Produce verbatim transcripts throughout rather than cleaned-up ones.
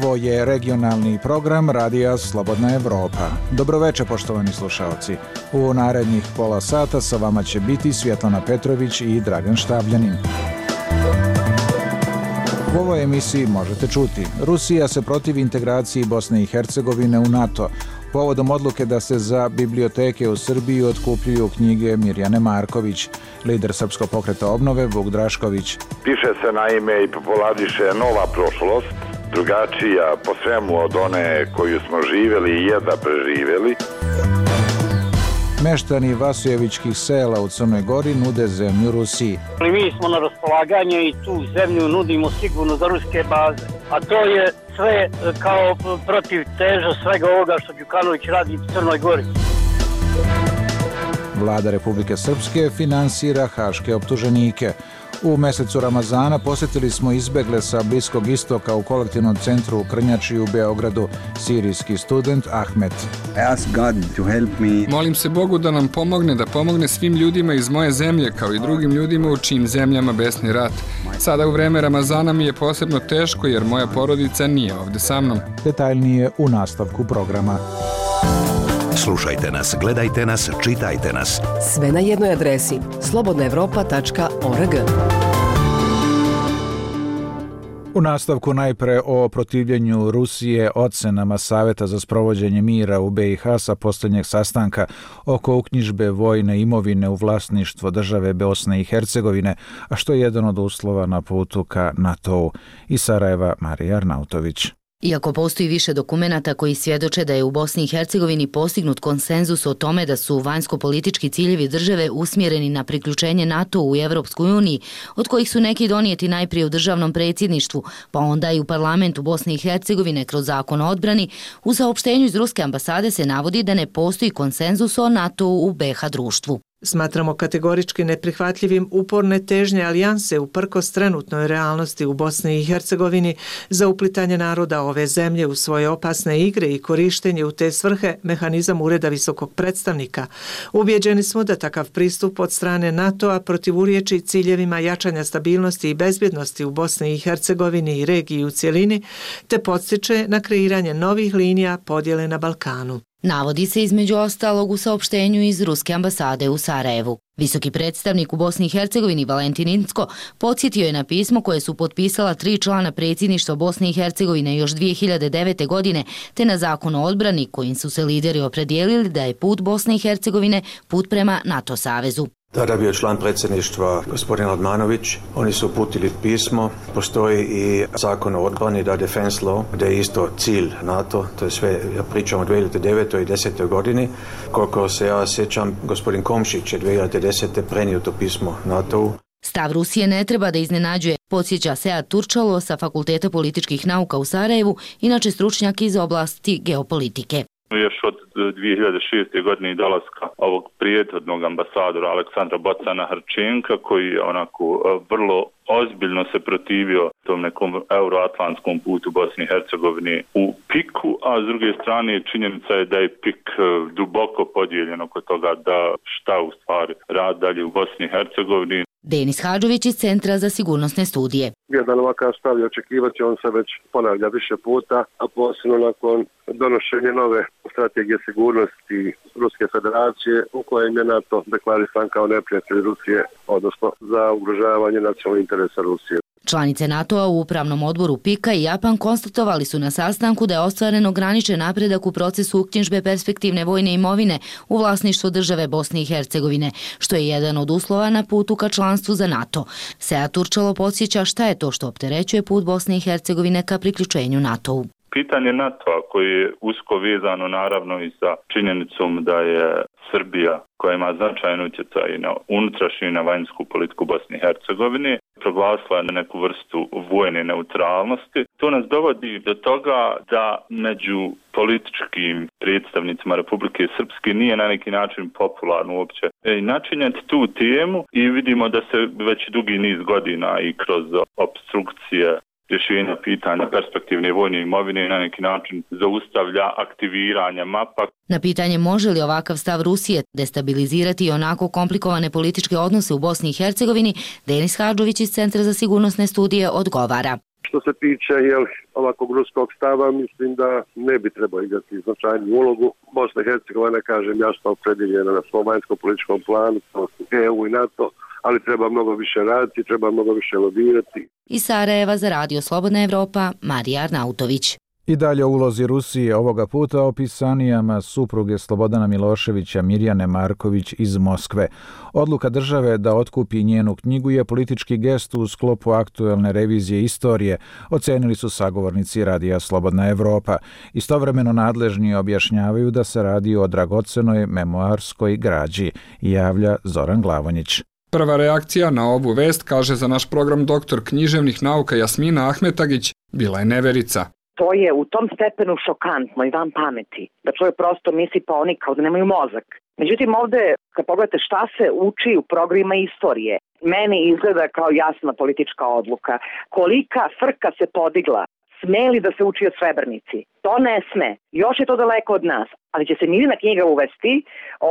Ovo je regionalni program Radija Slobodna Evropa. Dobroveče, poštovani slušaoci. U narednih pola sata sa vama će biti Svjetlana Petrović i Dragan Štabljanin. U ovoj emisiji možete čuti: Rusija se protivi integraciji Bosne i Hercegovine u NATO, povodom odluke da se za biblioteke u Srbiji otkupljuju knjige Mirjane Marković. Lider Srpskog pokreta obnove Vuk Drašković. Piše se naime i populariše nova prošlost, drugačija po svemu od one koju smo živjeli i jedva preživjeli. Meštani Vasujevićkih sela u Crnoj Gori nude zemlju Rusiji. Mi smo na raspolaganje i tu zemlju nudimo sigurno za ruske baze. A to je sve kao protiv teža svega ovoga što Đukanović radi u Crnoj Gori. Vlada Republike Srpske finansira haške optuženike. U mesecu Ramazana posjetili smo izbegle sa Bliskog istoka u kolektivnom centru u Krnjači u Beogradu sirijski student Ahmet. Molim se Bogu da nam pomogne, da pomogne svim ljudima iz moje zemlje, kao i drugim ljudima u čijim zemljama besni rat. Sada u vreme Ramazana mi je posebno teško jer moja porodica nije ovdje sa mnom. Detaljnije u nastavku programa. Slušajte nas, gledajte nas, čitajte nas. Sve na jednoj adresi slobodna evropa tačka org. U nastavku najpre o protivljenju Rusije ocenama Saveta za sprovođenje mira u be i ha sa posljednjeg sastanka oko uknjižbe vojne imovine u vlasništvo države Bosne i Hercegovine, a što je jedan od uslova na putu ka NATO-u. Iz Sarajeva Marija Arnautović. Iako postoji više dokumenata koji svjedoče da je u Bosni i Hercegovini postignut konsenzus o tome da su vanjsko-politički ciljevi države usmjereni na priključenje NATO u Evropskoj uniji, od kojih su neki donijeti najprije u državnom predsjedništvu, pa onda i u parlamentu Bosne i Hercegovine kroz zakon o odbrani, u saopštenju iz Ruske ambasade se navodi da ne postoji konsenzus o NATO-u u be ha društvu. Smatramo kategorički neprihvatljivim uporne težnje alijanse uprkos trenutnoj realnosti u Bosni i Hercegovini za uplitanje naroda ove zemlje u svoje opasne igre i korištenje u te svrhe mehanizam Ureda visokog predstavnika. Ubjeđeni smo da takav pristup od strane NATO-a protivurječi ciljevima jačanja stabilnosti i bezbjednosti u Bosni i Hercegovini i regiji u cjelini, te podstiče na kreiranje novih linija podjele na Balkanu. Navodi se između ostalog u saopštenju iz Ruske ambasade u Sarajevu. Visoki predstavnik u Bosni i Hercegovini Valentin Incko podsjetio je na pismo koje su potpisala tri člana predsjedništva Bosne i Hercegovine još dvije hiljade devete. godine, te na zakon o odbrani kojim su se lideri opredijelili da je put Bosne i Hercegovine put prema NATO savezu. Tada bio član predsjedništva gospodin Radmanović. Oni su uputili pismo. Postoji i zakon o odbrani, da defense law, gdje je isto cilj NATO. To je sve, ja pričam o dvije hiljade devete. i desetoj godini. Koliko se ja sjećam, gospodin Komšić je dvije hiljade desete. prenio to pismo NATO-u. Stav Rusije ne treba da iznenađuje, podsjeća Sead Turčalo sa Fakulteta političkih nauka u Sarajevu, inače stručnjak iz oblasti geopolitike. Još od dvije hiljade šeste. godine i dolaska ovog prijetodnog ambasadora Aleksandra Bocana Hrčenka, koji je onako vrlo ozbiljno se protivio tom nekom euroatlantskom putu Bosni i Hercegovine u piku, a s druge strane činjenica je da je pik duboko podijeljen oko toga da šta u stvari rad dalje u Bosni i Hercegovini. Denis Hadžović iz Centra za sigurnosne studije. Jedan ovakav stav je očekivati, on se već ponavlja više puta, a posebno nakon donošenja nove strategije sigurnosti Ruske federacije u kojem je NATO deklarisan kao neprijatelj Rusije, odnosno za ugrožavanje nacionalnih interesa Rusije. Članice NATO-a u upravnom odboru pika i Japan konstatovali su na sastanku da je ostvaren ograničen napredak u procesu uknjižbe perspektivne vojne imovine u vlasništvu države Bosne i Hercegovine, što je jedan od uslova na putu ka članstvu za NATO. Sead Turčalo podsjeća šta je to što opterećuje put Bosne i Hercegovine ka priključenju NATO-u. Pitanje NATO-a koje je usko vezano naravno i sa činjenicom da je Srbija, koja ima značajan utjecaj na unutrašnju i na vanjsku politiku Bosne i Hercegovine, proglasila na neku vrstu vojne neutralnosti. To nas dovodi do toga da među političkim predstavnicima Republike Srpske nije na neki način popularno uopće i načinjati tu temu i vidimo da se već dugi niz godina i kroz obstrukcije rješenja pitanja perspektivne vojne imovine na neki način zaustavlja aktiviranje mapa. Na pitanje može li ovakav stav Rusije destabilizirati i onako komplikovane političke odnose u Bosni i Hercegovini, Denis Hadžović iz Centra za sigurnosne studije odgovara. Što se tiče jel, ovakvog ruskog stava, mislim da ne bi trebao igrati značajnu ulogu. Bosna i Hercegovina, kažem, jasno opredjeljena na svom vanjskom političkom planu, E U i NATO, ali treba mnogo više raditi, treba mnogo više lobirati. Iz Sarajeva za Radio Slobodna Evropa, Marija Arnautović. I dalje o ulozi Rusije, ovoga puta o pisanijama supruge Slobodana Miloševića Mirjane Marković iz Moskve. Odluka države da otkupi njenu knjigu je politički gest u sklopu aktuelne revizije istorije, ocenili su sagovornici Radija Slobodna Evropa. Istovremeno nadležni objašnjavaju da se radi o dragocenoj memoarskoj građi, javlja Zoran Glavonjić. Prva reakcija na ovu vest, kaže za naš program doktor književnih nauka Jasmina Ahmetagić, bila je neverica. To je u tom stepenu šokantno i van pameti, da čovjek prosto misli pa oni kao da nemaju mozak. Međutim, ovde, kad pogledate šta se uči u programima istorije, meni izgleda kao jasna politička odluka. Kolika frka se podigla, sme li da se uči o Srebrenici? To ne sme. Još je to daleko od nas, ali će se Mirina knjiga uvesti,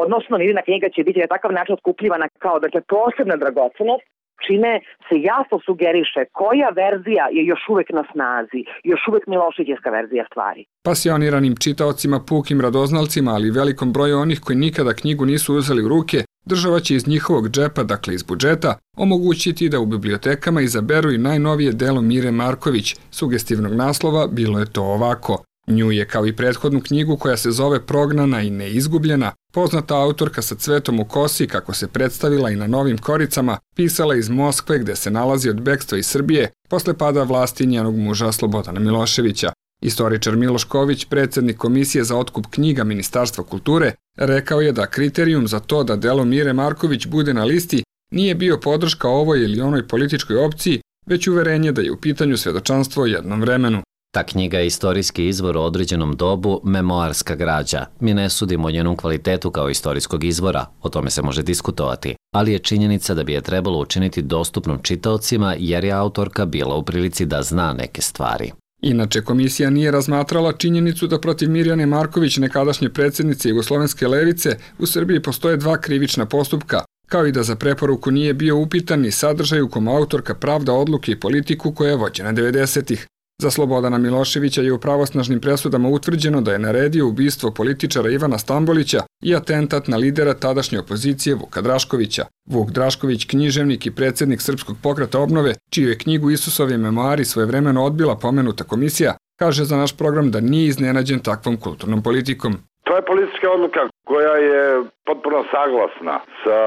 odnosno Mirina knjiga će biti na takav način otkupljivana kao dakle, posebna dragocenost, čime se jasno sugeriše koja verzija je još uvek na snazi, još uvek Miloševićevska verzija stvari. Pasioniranim čitaocima, pukim radoznalcima, ali velikom broju onih koji nikada knjigu nisu uzeli u ruke, država će iz njihovog džepa, dakle iz budžeta, omogućiti da u bibliotekama izaberu i najnovije delo Mire Marković. Sugestivnog naslova bilo je to ovako. Nju je, kao i prethodnu knjigu koja se zove Prognana i neizgubljena, poznata autorka sa cvetom u kosi, kako se predstavila i na novim koricama, pisala iz Moskve gde se nalazi od bekstva iz Srbije posle pada vlasti njenog muža Slobodana Miloševića. Istoričar Miloš Ković, predsjednik Komisije za otkup knjiga Ministarstva kulture, rekao je da kriterijum za to da delo Mire Marković bude na listi nije bio podrška ovoj ili onoj političkoj opciji, već uverenje da je u pitanju svedočanstvo o jednom vremenu. Ta knjiga je istorijski izvor o određenom dobu, memoarska građa. Mi ne sudimo o njenom kvalitetu kao istorijskog izvora, o tome se može diskutovati, ali je činjenica da bi je trebalo učiniti dostupnom čitaocima jer je autorka bila u prilici da zna neke stvari. Inače, komisija nije razmatrala činjenicu da protiv Mirjane Marković, nekadašnje predsjednice Jugoslovenske levice, u Srbiji postoje dva krivična postupka, kao i da za preporuku nije bio upitan ni sadržaj u kom autorka pravda odluke i politiku koja je vođena devedesetih. Za Slobodana Miloševića je u pravosnažnim presudama utvrđeno da je naredio ubistvo političara Ivana Stambolića i atentat na lidera tadašnje opozicije Vuka Draškovića. Vuk Drašković, književnik i predsjednik Srpskog pokreta obnove, čiju je knjigu Isusovi memoari svojevremeno odbila pomenuta komisija, kaže za naš program da nije iznenađen takvom kulturnom politikom. To je politička odluka koja je potpuno saglasna sa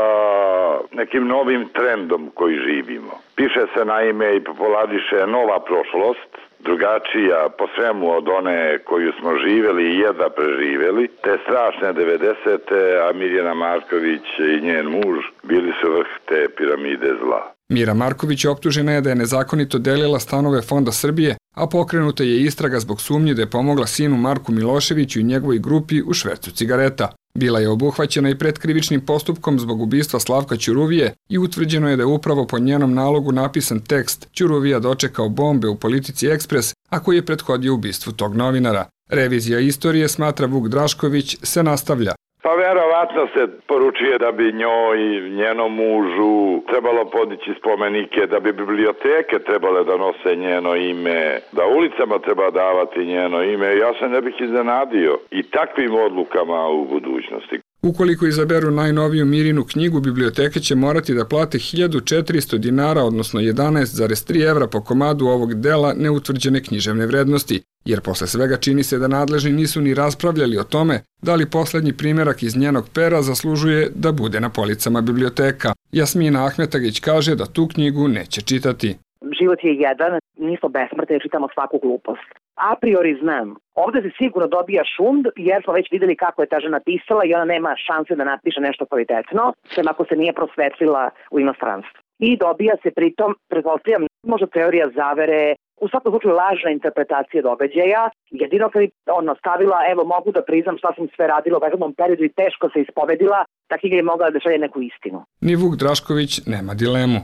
nekim novim trendom koji živimo. Piše se naime i populariše nova prošlost, drugačija po svemu od one koju smo živjeli i jedva preživjeli, te strašne devedesete, a Mirjana Marković i njen muž bili su vrh te piramide zla. Mira Marković optužena je da je nezakonito delila stanove Fonda Srbije, a pokrenuta je istraga zbog sumnje da je pomogla sinu Marku Miloševiću i njegovoj grupi u švercu cigareta. Bila je obuhvaćena i pretkrivičnim postupkom zbog ubistva Slavka Ćuruvije i utvrđeno je da je upravo po njenom nalogu napisan tekst Ćuruvija dočekao bombe u Politici Ekspres, a koji je prethodio ubistvu tog novinara. Revizija istorije, smatra Vuk Drašković, se nastavlja. Pa verovatno se poručuje da bi njoj i njenom mužu trebalo podići spomenike, da bi biblioteke trebale da nose njeno ime, da ulicama treba davati njeno ime. Ja se ne bih iznenadio i takvim odlukama u budućnosti. Ukoliko izaberu najnoviju Mirinu knjigu, biblioteke će morati da plate hiljadu četiristo dinara, odnosno jedanaest zarez tri evra po komadu ovog dela neutvrđene književne vrednosti, jer posle svega čini se da nadležni nisu ni raspravljali o tome da li poslednji primjerak iz njenog pera zaslužuje da bude na policama biblioteka. Jasmina Ahmetagić kaže da tu knjigu neće čitati. Život je jedan, nismo besmrtni jer čitamo svaku glupost. A priori znam. Ovde se sigurno dobija šund jer smo već vidjeli kako je ta žena pisala i ona nema šanse da napiše nešto kvalitetno, sem ako se nije prosvetlila u inostranstvu. I dobija se pritom, pretpostavljam, možda teorija zavere, u svakom slučaju lažna interpretacija događaja. Jedino kad je ono stavila, evo mogu da priznam šta sam sve radila u prethodnom periodu i teško se ispovedila, ta knjiga je mogla da šalje neku istinu. Ni Vuk Drašković nema dilemu.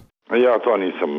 Ja to nisam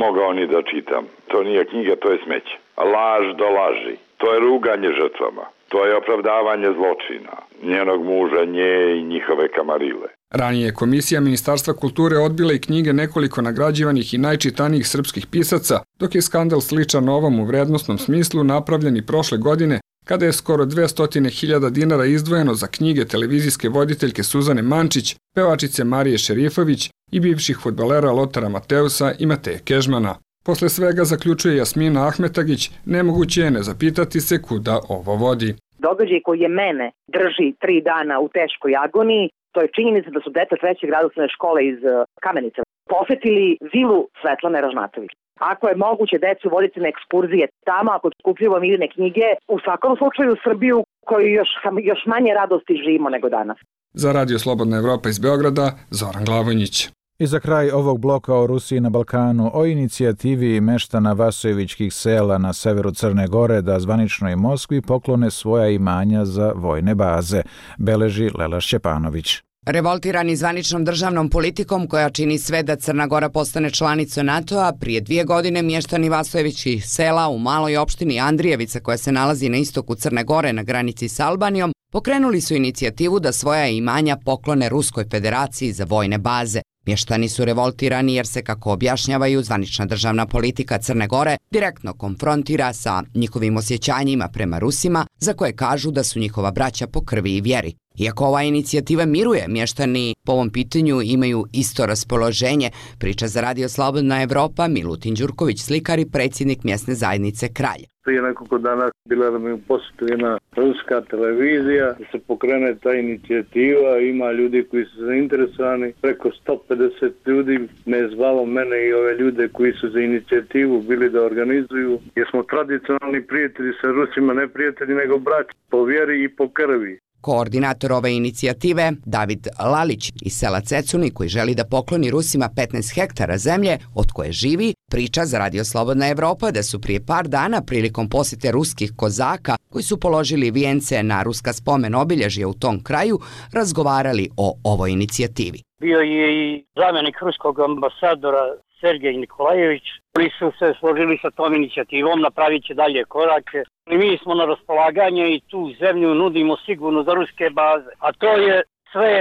mogao ni da čitam. To nije knjiga, to je smeće. Laž do laži. To je ruganje žrtvama. To je opravdavanje zločina. Njenog muža, nje i njihove kamarile. Ranije je Komisija Ministarstva kulture odbila i knjige nekoliko nagrađivanih i najčitanijih srpskih pisaca, dok je skandal sličan ovom u vrednostnom smislu napravljen i prošle godine, kada je skoro dvesta hiljada dinara izdvojeno za knjige televizijske voditeljke Suzane Mančić, pevačice Marije Šerifović i bivših fudbalera Lotara Mateusa i Mateje Kežmana. Posle svega, zaključuje Jasmina Ahmetagić, nemoguće je ne zapitati se kuda ovo vodi. Događaj koji je mene drži tri dana u teškoj agoniji, to je činjenica da su deca trećeg grada osnovne škole iz Kamenice posetili vilu Svetlane Ražnatović. Ako je moguće decu voditi na ekskurzije tamo, ako skupljujemo mirne knjige, u svakom slučaju Srbiju koju još, još manje radosti živimo nego danas. Za Radio Slobodna Evropa iz Beograda, Zoran Glavonjić. I za kraj ovog bloka o Rusiji na Balkanu, o inicijativi meštana Vasojevićkih sela na severu Crne Gore da zvaničnoj Moskvi poklone svoja imanja za vojne baze, beleži Lela Šćepanović. Revoltirani zvaničnom državnom politikom koja čini sve da Crna Gora postane članica NATO-a, prije dvije godine mještani Vasojevićkih sela u maloj opštini Andrijevica koja se nalazi na istoku Crne Gore na granici s Albanijom, pokrenuli su inicijativu da svoja imanja poklone Ruskoj federaciji za vojne baze. Mještani su revoltirani jer se, kako objašnjavaju, zvanična državna politika Crne Gore direktno konfrontira sa njihovim osjećanjima prema Rusima, za koje kažu da su njihova braća po krvi i vjeri. Iako ova inicijativa miruje, mještani po ovom pitanju imaju isto raspoloženje, priča za Radio Slobodna Evropa Milutin Đurković, slikar i predsjednik mjesne zajednice Kralj. Prije nekoliko dana bila nam je u posjetu jedna ruska televizija, da se pokrene ta inicijativa, ima ljudi koji su zainteresovani, preko sto pedeset ljudi me je zvalo, mene i ove ljude koji su za inicijativu bili da organizuju, jer smo tradicionalni prijatelji sa Rusima, ne prijatelji nego braći, po vjeri i po krvi. Koordinator ove inicijative, David Lalić iz sela Cecuni, koji želi da pokloni Rusima petnaest hektara zemlje od koje živi, priča za Radio Slobodna Evropa da su prije par dana prilikom posjete ruskih kozaka koji su položili vijence na ruska spomen obilježja u tom kraju razgovarali o ovoj inicijativi. Bio je i zamjenik ruskog ambasadora Sergej Nikolajević, koji su se složili sa tom inicijativom, napravit će dalje korake. I mi smo na raspolaganje i tu zemlju nudimo sigurno za ruske baze. A to je sve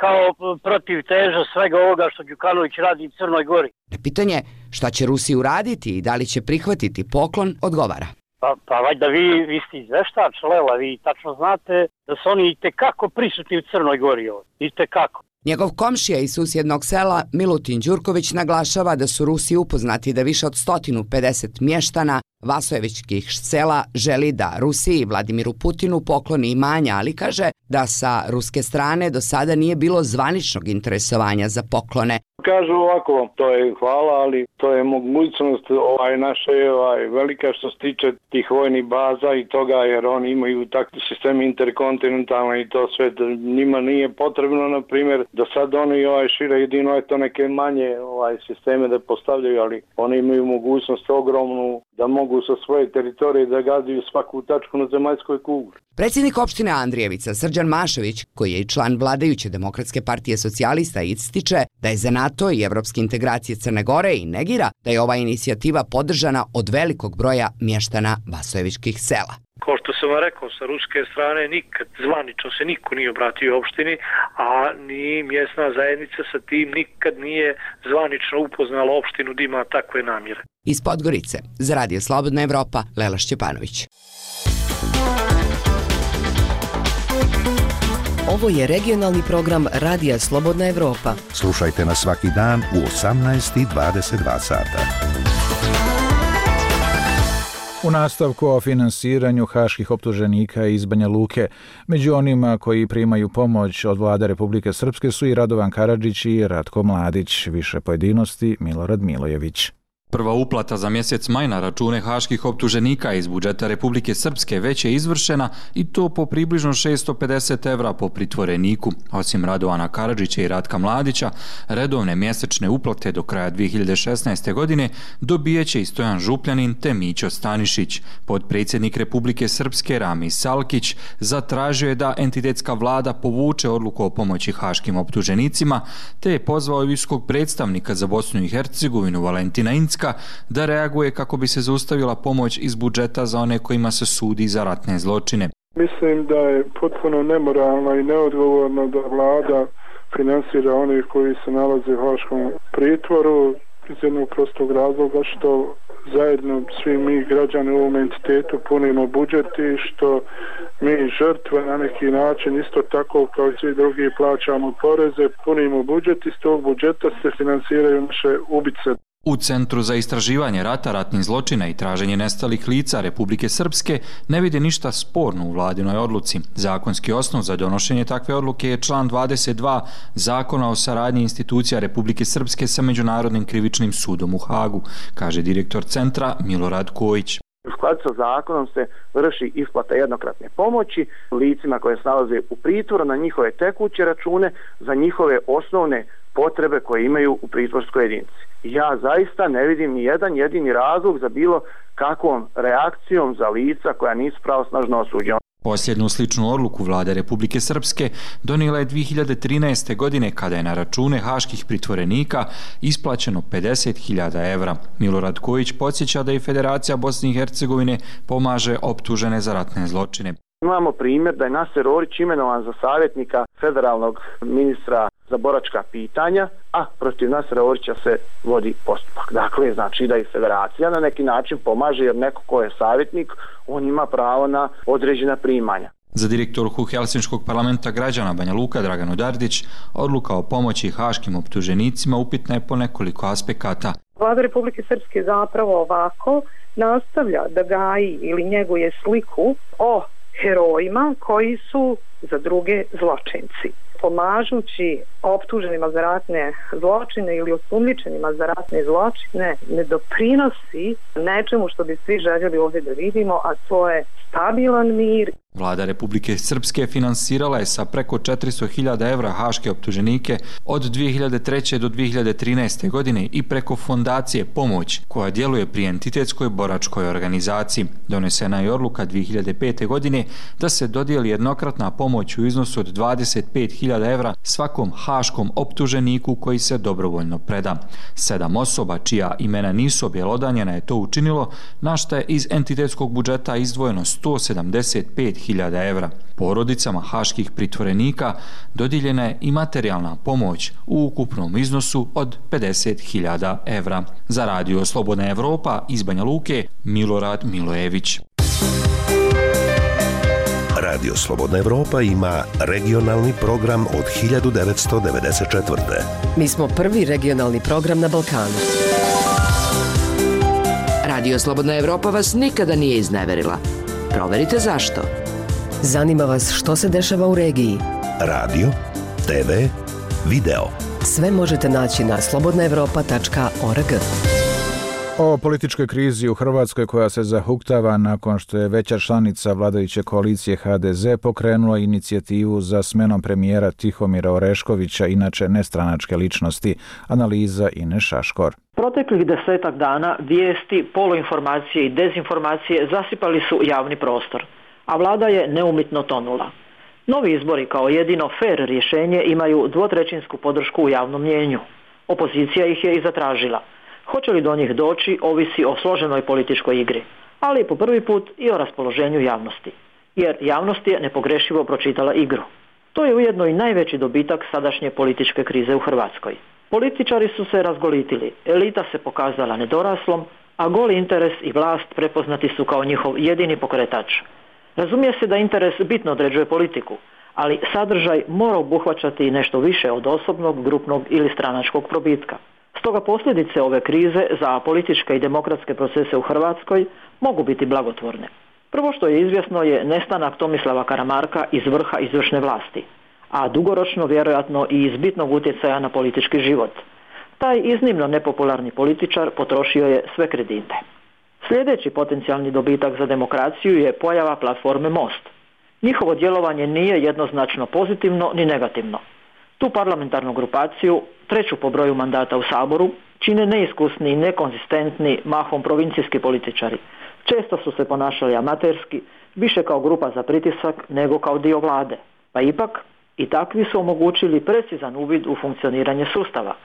kao protiv teža svega ovoga što Đukanović radi u Crnoj Gori. Na pitanje šta će Rusi uraditi i da li će prihvatiti poklon, odgovara. Pa, pa valjda vi, vi ste izveštač, Lela, vi tačno znate da su oni itekako prisutni u Crnoj Gori ovdje. Itekako. Njegov komšija iz susjednog sela Milutin Đurković naglašava da su Rusi upoznati da više od sto pedeset mještana Vasojevićkih sela želi da Rusiji i Vladimiru Putinu pokloni imanja, ali kaže da sa ruske strane do sada nije bilo zvaničnog interesovanja za poklone. Kažu ovako, to je hvala, ali to je mogućnost ovaj, naša je ovaj, velika što se tiče tih vojnih baza i toga, jer oni imaju takvi sistemi interkontinentalne i to sve, njima nije potrebno, na primjer, da sad oni ovaj, šire jedino je to neke manje ovaj, sisteme da postavljaju, ali oni imaju mogućnost ogromnu da mogu sa svoje teritorije da gađaju svaku tačku na zemaljskoj kugli. Predsjednik opštine Andrijevica, Srđan Mašović, koji je i član vladajuće Demokratske partije socijalista, ističe da je za NATO i evropske integracije Crne Gore i negira da je ova inicijativa podržana od velikog broja mještana Vasojevićkih sela. Kao što sam vam rekao, sa ruske strane nikad zvanično se niko nije obratio opštini, a ni mjesna zajednica sa tim nikad nije zvanično upoznala opštinu da ima takve namjere. Iz Podgorice, za Radio Slobodna Evropa, Lela Šćepanović. Ovo je regionalni program Radija Slobodna Evropa. Slušajte nas svaki dan u osamnaest i dvadeset dva sata. U nastavku o finansiranju haških optuženika iz Banja Luke, među onima koji primaju pomoć od vlade Republike Srpske su i Radovan Karadžić i Ratko Mladić. Više pojedinosti Milorad Milojević. Prva uplata za mjesec maj na račune haških optuženika iz budžeta Republike Srpske već je izvršena i to po približno šesto pedeset evra po pritvoreniku. Osim Radovana Karadžića i Ratka Mladića, redovne mjesečne uplate do kraja dvije hiljade šesnaeste. godine dobijeće i Stojan Župljanin te Mićo Stanišić. Podpredsjednik Republike Srpske Rami Salkić zatražio je da entitetska vlada povuče odluku o pomoći haškim optuženicima, te je pozvao visokog predstavnika za Bosnu i Hercegovinu Valentina Incka da reaguje kako bi se zaustavila pomoć iz budžeta za one kojima se sudi za ratne zločine. Mislim da je potpuno nemoralno i neodgovorno da vlada finansira one koji se nalaze u haškom pritvoru iz jednog prostog razloga što zajedno svi mi građani u ovom entitetu punimo budžet i što mi žrtve na neki način isto tako kao i svi drugi plaćamo poreze, punimo budžet i iz tog budžeta se finansiraju naše ubice. U Centru za istraživanje rata, ratnih zločina i traženje nestalih lica Republike Srpske ne vide ništa sporno u vladinoj odluci. Zakonski osnov za donošenje takve odluke je član dvadeset dva Zakona o saradnji institucija Republike Srpske sa Međunarodnim krivičnim sudom u Hagu, kaže direktor centra Milorad Kojić. U skladu sa zakonom se vrši isplata jednokratne pomoći licima koje se nalaze u pritvoru na njihove tekuće račune za njihove osnovne potrebe koje imaju u pritvorskoj jedinici. Ja zaista ne vidim ni jedan jedini razlog za bilo kakvom reakcijom za lica koja nisu pravosnažno osuđena. Posljednju sličnu odluku vlade Republike Srpske donijela je dvije hiljade trinaeste. godine kada je na račune haških pritvorenika isplaćeno pedeset hiljada evra. Milorad Kojić podsjeća da i Federacija Bosne i Hercegovine pomaže optužene za ratne zločine. Imamo primjer da je Naser Orić imenovan za savjetnika federalnog ministra za boračka pitanja, a protiv Nasera Orića se vodi postupak. Dakle, znači da i federacija na neki način pomaže jer neko ko je savjetnik, on ima pravo na određena primanja. Za direktorku Helsinškog parlamenta građana Banja Luka Draganu Dardić, odluka o pomoći haškim optuženicima upitna je po nekoliko aspekata. Vlada Republike Srpske zapravo ovako nastavlja da gaji ili njeguje sliku o herojima koji su za druge zločinci. Pomažući optuženima za ratne zločine ili osumnjičenima za ratne zločine ne doprinosi nečemu što bi svi željeli ovdje da vidimo, a to je stabilan mir. Vlada Republike Srpske finansirala je sa preko četiristo hiljada evra haške optuženike od dvije hiljade treće. do dvije hiljade trinaeste. godine i preko fondacije Pomoć, koja djeluje pri entitetskoj boračkoj organizaciji. Donesena je odluka dvije hiljade pete. godine da se dodijeli jednokratna pomoć u iznosu od dvadeset pet hiljada evra svakom haškom optuženiku koji se dobrovoljno preda. Sedam osoba čija imena nisu objelodanjena je to učinilo, na šta je iz entitetskog budžeta izdvojeno sto sedamdeset pet hiljada evra. Porodicama haških pritvorenika dodijeljena je i materijalna pomoć u ukupnom iznosu od pedeset hiljada evra. Za Radio Slobodna Evropa iz Banja Luke, Milorad Milojević. Radio Slobodna Evropa ima regionalni program od hiljadu devetsto devedeset četvrte. Mi smo prvi regionalni program na Balkanu. Radio Slobodna Evropa vas nikada nije izneverila. Proverite zašto. Zanima vas što se dešava u regiji. Radio, te ve, video. Sve možete naći na slobodna evropa tačka org. O političkoj krizi u Hrvatskoj koja se zahuktava nakon što je veća članica vladajuće koalicije ha de ze pokrenula inicijativu za smenom premijera Tihomira Oreškovića, inače nestranačke ličnosti. Analiza Ine Šaškor. Proteklih desetak dana vijesti, poluinformacije i dezinformacije zasipali su javni prostor, a vlada je neumitno tonula. Novi izbori kao jedino fer rješenje imaju dvotrećinsku podršku u javnom mnijenju. Opozicija ih je i zatražila. Hoće li do njih doći ovisi o složenoj političkoj igri, ali po prvi put i o raspoloženju javnosti, jer javnost je nepogrešivo pročitala igru. To je ujedno i najveći dobitak sadašnje političke krize u Hrvatskoj. Političari su se razgolitili, elita se pokazala nedoraslom, a goli interes i vlast prepoznati su kao njihov jedini pokretač. Razumije se da interes bitno određuje politiku, ali sadržaj mora obuhvaćati i nešto više od osobnog, grupnog ili stranačkog probitka. Stoga posljedice ove krize za političke i demokratske procese u Hrvatskoj mogu biti blagotvorne. Prvo što je izvjesno je nestanak Tomislava Karamarka iz vrha izvršne vlasti, a dugoročno vjerojatno i iz bitnog utjecaja na politički život. Taj iznimno nepopularni političar potrošio je sve kredite. Sljedeći potencijalni dobitak za demokraciju je pojava platforme Most. Njihovo djelovanje nije jednoznačno pozitivno ni negativno. Tu parlamentarnu grupaciju, treću po broju mandata u Saboru, čine neiskusni i nekonzistentni, mahom provincijski političari. Često su se ponašali amaterski, više kao grupa za pritisak nego kao dio vlade. Pa ipak, i takvi su omogućili precizan uvid u funkcioniranje sustava,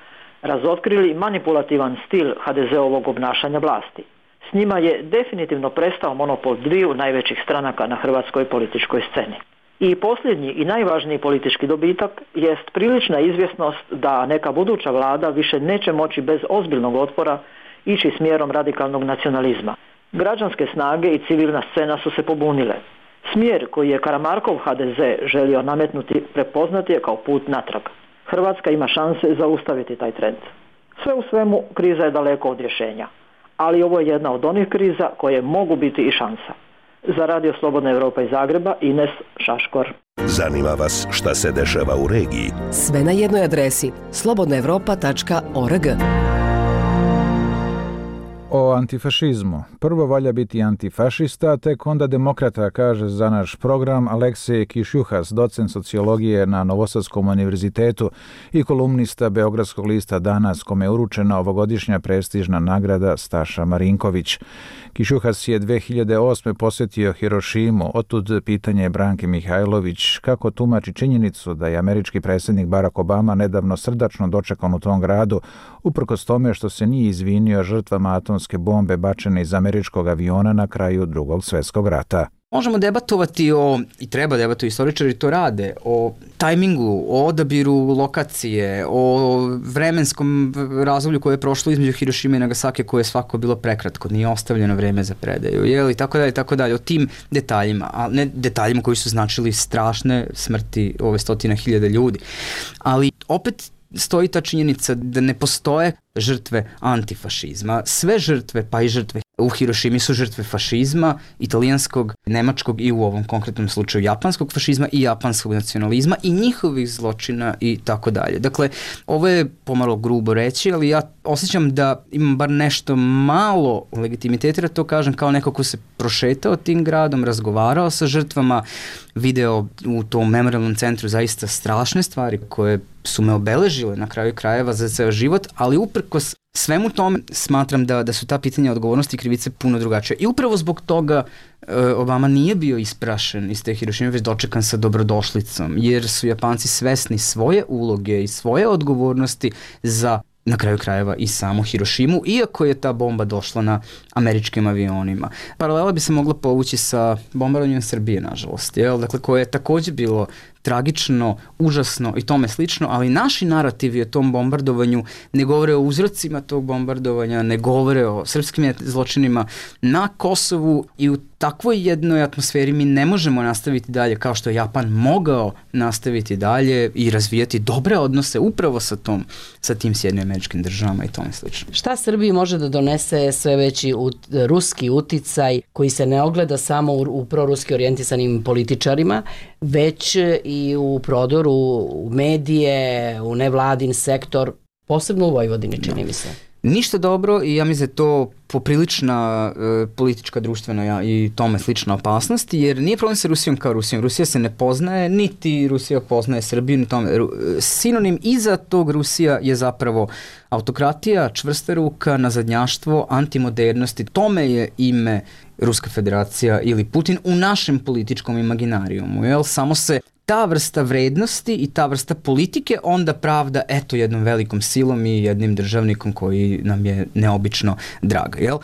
razotkrili manipulativan stil ha de zeovog obnašanja vlasti. S njima je definitivno prestao monopol dviju najvećih stranaka na hrvatskoj političkoj sceni. I posljednji i najvažniji politički dobitak jest prilična izvjesnost da neka buduća vlada više neće moći bez ozbiljnog otpora ići smjerom radikalnog nacionalizma. Građanske snage i civilna scena su se pobunile. Smjer koji je Karamarkov ha de ze želio nametnuti prepoznat je kao put natrag. Hrvatska ima šanse zaustaviti taj trend. Sve u svemu, kriza je daleko od rješenja, ali ovo je jedna od onih kriza koje mogu biti i šansa. Za Radio Slobodna Evropa iz Zagreba, Ines Šaškor. Zanima vas šta se dešava u regiji? Sve na jednoj adresi slobodna evropa tačka org. O antifašizmu. Prvo valja biti antifašista, tek onda demokrata, kaže za naš program Aleksej Kišjuhas, docent sociologije na Novosadskom univerzitetu i kolumnista Beogradskog lista Danas, kome je uručena ovogodišnja prestižna nagrada Staša Marinković. Kišjuhas je dve hiljade osme posjetio Hirošimu, otud pitanje Branke Mihajlović kako tumači činjenicu da je američki predsjednik Barack Obama nedavno srdačno dočekan u tom gradu, uprkos tome što se nije izvinio žrtvama atomske bombe bačene iz američkog aviona na kraju Drugog svjetskog rata. Možemo debatovati o, i treba debatovati, istoričari to rade, o tajmingu, o odabiru lokacije, o vremenskom razdoblju koje je prošlo između Hirošime i Nagasake, koje je svako bilo prekratko, nije ostavljeno vreme za predaju, je li, tako dalje, tako dalje, o tim detaljima, a ne detaljima koji su značili strašne smrti ove stotina hiljada ljudi. Ali opet stoji ta činjenica da ne postoje žrtve antifašizma. Sve žrtve, pa i žrtve u Hirošimi su žrtve fašizma, italijanskog, nemačkog i u ovom konkretnom slučaju japanskog fašizma i japanskog nacionalizma i njihovih zločina i tako dalje. Dakle, ovo je pomalo grubo reći, ali ja osjećam da imam bar nešto malo legitimiteta, da to kažem kao neko ko se prošetao tim gradom, razgovarao sa žrtvama, video u tom memorialnom centru zaista strašne stvari koje su me obeležile na kraju krajeva za ceo život, ali uprkos svemu tome smatram da, da su ta pitanja odgovornosti i krivice puno drugačije. I upravo zbog toga e, Obama nije bio isprašen iz te Hirošime, već dočekan sa dobrodošlicom, jer su Japanci svesni svoje uloge i svoje odgovornosti za, na kraju krajeva, i samu Hirošimu, iako je ta bomba došla na američkim avionima. Paralela bi se mogla povući sa bombardovanjem Srbije, nažalost, jel? Dakle, koje je također bilo tragično, užasno i tome slično, ali naši narativi o tom bombardovanju ne govore o uzrocima tog bombardovanja, ne govore o srpskim zločinima na Kosovu i u takvoj jednoj atmosferi mi ne možemo nastaviti dalje kao što je Japan mogao nastaviti dalje i razvijati dobre odnose upravo sa tom, sa tim Sjedinjenim Američkim Državama i tome slično. Šta Srbiji može da donese sve veći ut, ruski uticaj koji se ne ogleda samo u, u proruski orijentisanim političarima, već i u prodoru u medije, u nevladin sektor, posebno u Vojvodini, čini mi se. Ništa dobro i ja mislim da je to poprilična e, politička, društvena ja, i tome slična opasnost, jer nije problem sa Rusijom kao Rusijom. Rusija se ne poznaje, niti Rusija poznaje Srbiju, ni tome. Sinonim iza tog Rusija je zapravo autokratija, čvrsta ruka, nazadnjaštvo, antimodernosti. Tome je ime Ruska federacija ili Putin u našem političkom imaginarijumu. Jel? Samo se ta vrsta vrednosti i ta vrsta politike onda pravda eto jednom velikom silom i jednim državnikom koji nam je neobično drag, jel?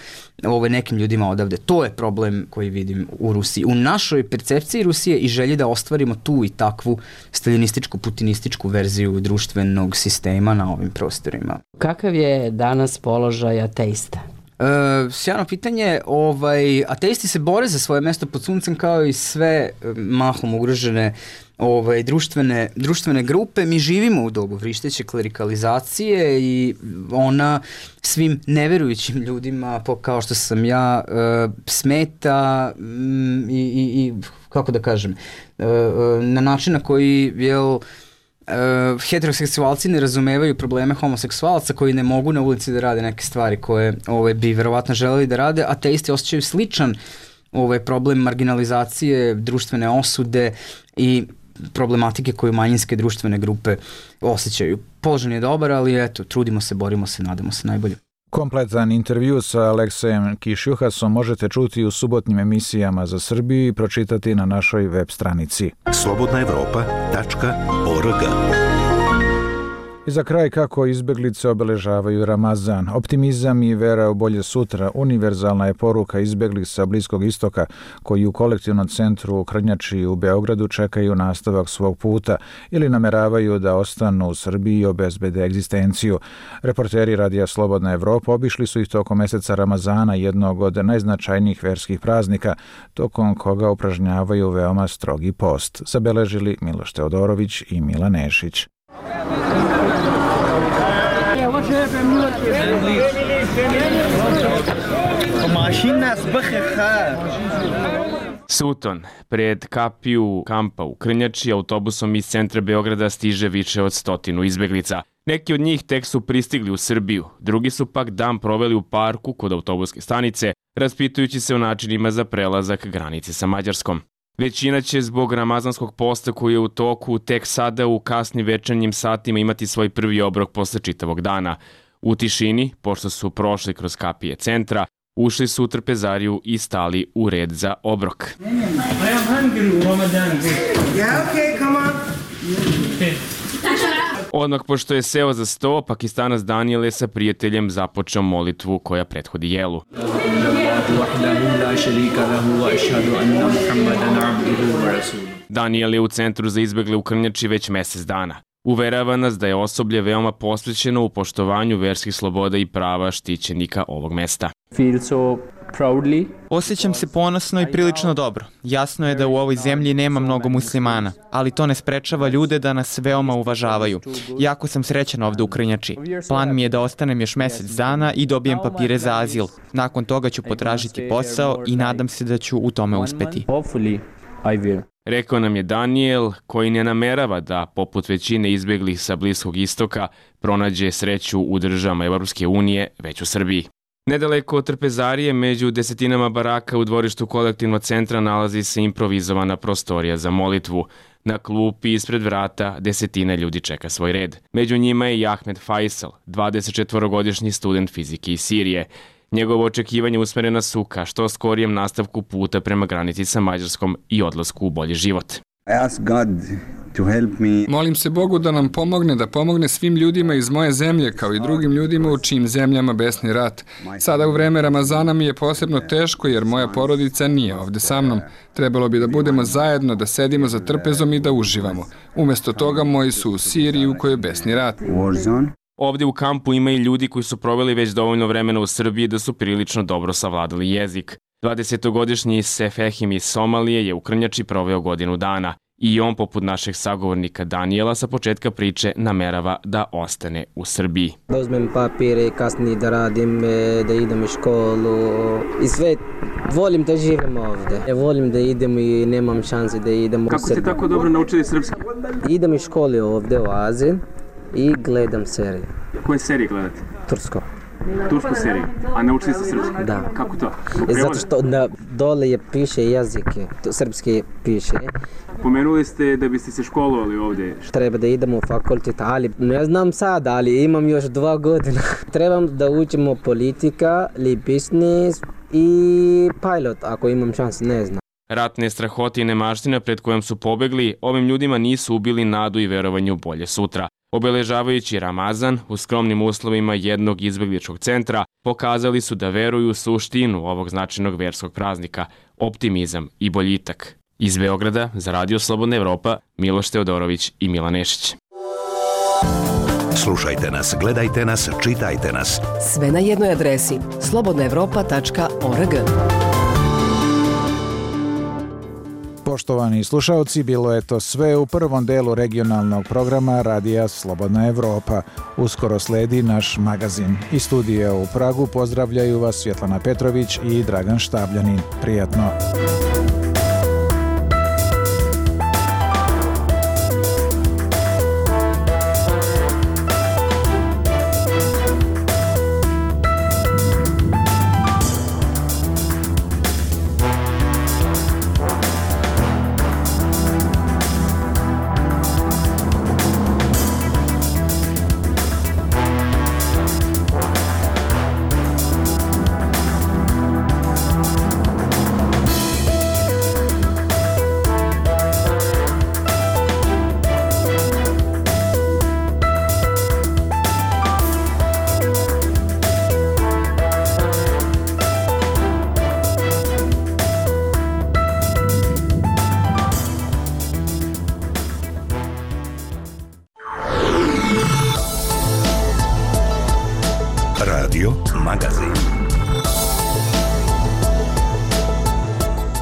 Ovo je nekim ljudima odavde. To je problem koji vidim u Rusiji. U našoj percepciji Rusije i želji da ostvarimo tu i takvu staljinističku, putinističku verziju društvenog sistema na ovim prostorima. Kakav je danas položaj ateista? Uh, sjajno pitanje. Ovaj, ateisti se bore za svoje mesto pod suncem kao i sve mahom ugrožene ovaj, društvene, društvene grupe. Mi živimo u dobu vrišteće klerikalizacije i ona svim neverujućim ljudima, kao što sam ja, uh, smeta um, i, i, i, kako da kažem, uh, na način na koji, jel, Uh, heteroseksualci ne razumevaju probleme homoseksualaca koji ne mogu na ulici da rade neke stvari koje ove, bi verovatno želeli da rade, a ateisti osjećaju sličan ovaj, problem marginalizacije, društvene osude i problematike koju manjinske društvene grupe osjećaju. Položaj je dobar, ali eto, trudimo se, borimo se, nadamo se najbolje. Kompletan intervju sa Aleksejem Kišjuhasom možete čuti u subotnim emisijama za Srbiju i pročitati na našoj web stranici slobodna evropa tačka org. I za kraj kako izbeglice obeležavaju Ramazan. Optimizam i vera u bolje sutra univerzalna je poruka izbeglih sa Bliskog istoka koji u kolektivnom centru u Krnjači u Beogradu čekaju nastavak svog puta ili nameravaju da ostanu u Srbiji i obezbede egzistenciju. Reporteri Radija Slobodna Evropa obišli su ih tokom meseca Ramazana, jednog od najznačajnijih verskih praznika, tokom koga upražnjavaju veoma strogi post. Zabeležili Miloš Teodorović i Mila Nešić. Suton, pred kapiju kampa u Krnjači, autobusom iz centra Beograda stiže više od stotinu izbeglica. Neki od njih tek su pristigli u Srbiju, drugi su pak dan proveli u parku kod autobuske stanice, raspitujući se o načinima za prelazak granice sa Mađarskom. Većina će zbog ramazanskog posta koji je u toku tek sada u kasnim večernjim satima imati svoj prvi obrok posle čitavog dana. U tišini, pošto su prošli kroz kapije centra, ušli su u trpezariju i stali u red za obrok. Odmah pošto je seo za sto, Pakistanac Daniel je sa prijateljem započeo molitvu koja prethodi jelu. Daniel je u centru za izbegle u Krnjači već mesec dana. Uverava nas da je osoblje veoma posvećeno u poštovanju verskih sloboda i prava štićenika ovog mesta. Osjećam se ponosno i prilično dobro. Jasno je da u ovoj zemlji nema mnogo muslimana, ali to ne sprečava ljude da nas veoma uvažavaju. Jako sam srećan ovde u Krnjači. Plan mi je da ostanem još mesec dana i dobijem papire za azil. Nakon toga ću potražiti posao i nadam se da ću u tome uspeti. Rekao nam je Daniel, koji ne namerava da, poput većine izbeglih sa Bliskog istoka, pronađe sreću u državama Evropske unije, već u Srbiji. Nedaleko od trpezarije, među desetinama baraka u dvorištu kolektivnog centra nalazi se improvizovana prostorija za molitvu. Na klupi ispred vrata desetina ljudi čeka svoj red. Među njima je i Ahmed Faisal, dvadesetčetvorogodišnji student fizike iz Sirije. Njegovo očekivanje usmerena su ka što skorijem nastavku puta prema granici sa Mađarskom i odlasku u bolji život. Molim se Bogu da nam pomogne, da pomogne svim ljudima iz moje zemlje, kao i drugim ljudima u čijim zemljama besni rat. Sada u vreme Ramazana mi je posebno teško jer moja porodica nije ovde sa mnom. Trebalo bi da budemo zajedno, da sedimo za trpezom i da uživamo. Umesto toga moji su u Siriji u kojoj je besni rat. Ovdje u kampu ima i ljudi koji su proveli već dovoljno vremena u Srbiji da su prilično dobro savladali jezik. dvadesetogodišnji Sefehim iz Somalije je u Krnjači proveo godinu dana i on, poput našeg sagovornika Daniela, sa početka priče namerava da ostane u Srbiji. Da uzmem papire, kasnije da radim, da idem u školu i sve. Volim da živim ovde. Ja volim da idem i nemam šanse da idem u Srbiju. Kako ste tako dobro naučili srpski? Idem u školi ovde u Aziji i gledam serije. Koje serije gledate? Tursko. Tursku seriju? A naučili ste srpski? Da. Kako to? Zato što da, dole je piše jezike, srpski piše. Pomenuli ste da biste se školovali ovde. Treba da idemo u fakultet, ali ne znam sad, ali imam još dva godina. Trebam da učimo politika, ili biznis i pilot, ako imam šans, ne znam. Ratne strahote i nemaština pred kojom su pobegli, ovim ljudima nisu ubili nadu i verovanje u bolje sutra. Obeležavajući Ramazan u skromnim uslovima jednog izbegličkog centra, pokazali su da veruju u suštinu ovog značajnog verskog praznika, optimizam i boljitak. Iz Beograda za Radio Slobodna Evropa, Miloš Teodorović i Mila Nešić. Slušajte nas, gledajte nas, čitajte nas. Sve na jednoj adresi slobodna evropa tačka org. Poštovani slušaoci, bilo je to sve u prvom delu regionalnog programa Radija Slobodna Evropa. Uskoro sledi naš magazin. Iz studija u Pragu pozdravljaju vas Svjetlana Petrović i Dragan Štabljanin. Prijatno! Radio magazin.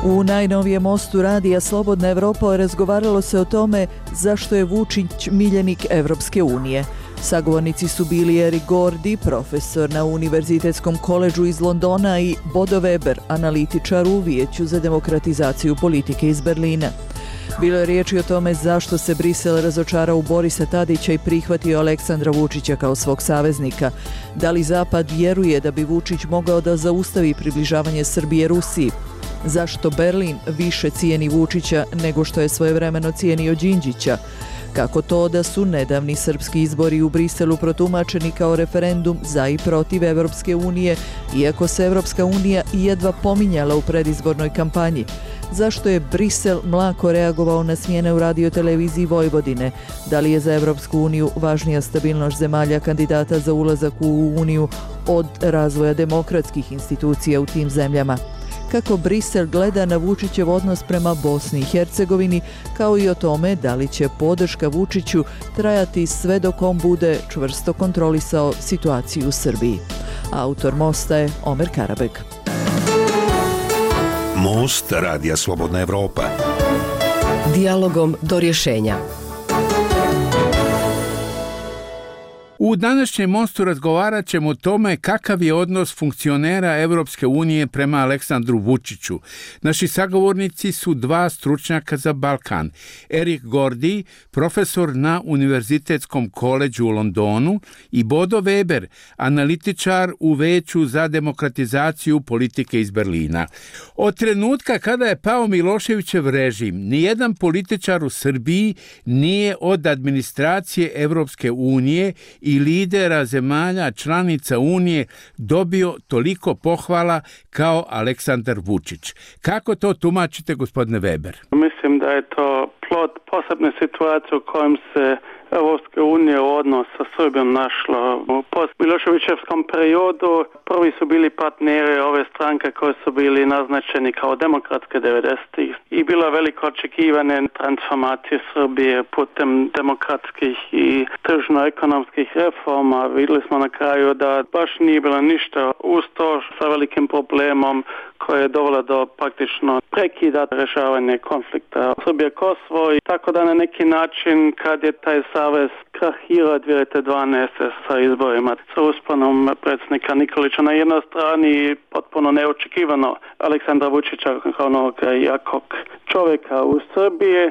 U najnovijem mostu radija Slobodna Evropa razgovaralo se o tome zašto je Vučić miljenik Evropske unije. Sagovornici su bili Erik Gordi, profesor na Univerzitetskom koledžu iz Londona, i Bodo Weber, analitičar u Vijeću za demokratizaciju politike iz Berlina. Bilo je riječi o tome zašto se Brisel razočarao u Borisa Tadića i prihvatio Aleksandra Vučića kao svog saveznika. Da li Zapad vjeruje da bi Vučić mogao da zaustavi približavanje Srbije Rusiji? Zašto Berlin više cijeni Vučića nego što je svojevremeno cijenio Đinđića? Kako to da su nedavni srpski izbori u Briselu protumačeni kao referendum za i protiv Evropske unije, iako se Evropska unija jedva pominjala u predizbornoj kampanji? Zašto je Brisel mlako reagovao na smjene u radioteleviziji Vojvodine? Da li je za Evropsku uniju važnija stabilnost zemalja kandidata za ulazak u Uniju od razvoja demokratskih institucija u tim zemljama? Kako Brisel gleda na Vučićev odnos prema Bosni i Hercegovini, kao i o tome da li će podrška Vučiću trajati sve dok on bude čvrsto kontrolisao situaciju u Srbiji. Autor mosta je Omer Karabeg. Most Radija Slobodna Evropa. Dijalogom do rješenja. U današnjem mostu razgovarat ćemo o tome kakav je odnos funkcionera Evropske unije prema Aleksandru Vučiću. Naši sagovornici su dva stručnjaka za Balkan. Erik Gordi, profesor na Univerzitetskom koledžu u Londonu, i Bodo Weber, analitičar u Veću za demokratizaciju politike iz Berlina. Od trenutka kada je pao Miloševićev režim, nijedan političar u Srbiji nije od administracije Evropske unije i lidera zemalja članica Unije dobio toliko pohvala kao Aleksandar Vučić. Kako to tumačite, gospodine Weber? Mislim da je to plod posebne situacije u kojem se Evropska unija u odnos sa Srbijom našla. U post-Miloševićevskom periodu prvi su bili partneri ove stranke koje su bili naznačeni kao demokratske devedesetih i bila veliko očekivane transformacije Srbije putem demokratskih i tržno-ekonomskih reforma. Vidjeli smo na kraju da baš nije bilo ništa uz to sa velikim problemom koje je dovelo do praktično prekida rješavanja konflikta Srbija-Kosovo, i tako da na neki način kad je taj savez krahirao dvije tisuće dvanaeste. sa izborima sa usponom predsjednika Nikolića na jednoj strani, potpuno neočekivano Aleksandra Vučića kao novog jakog čovjeka u Srbiji,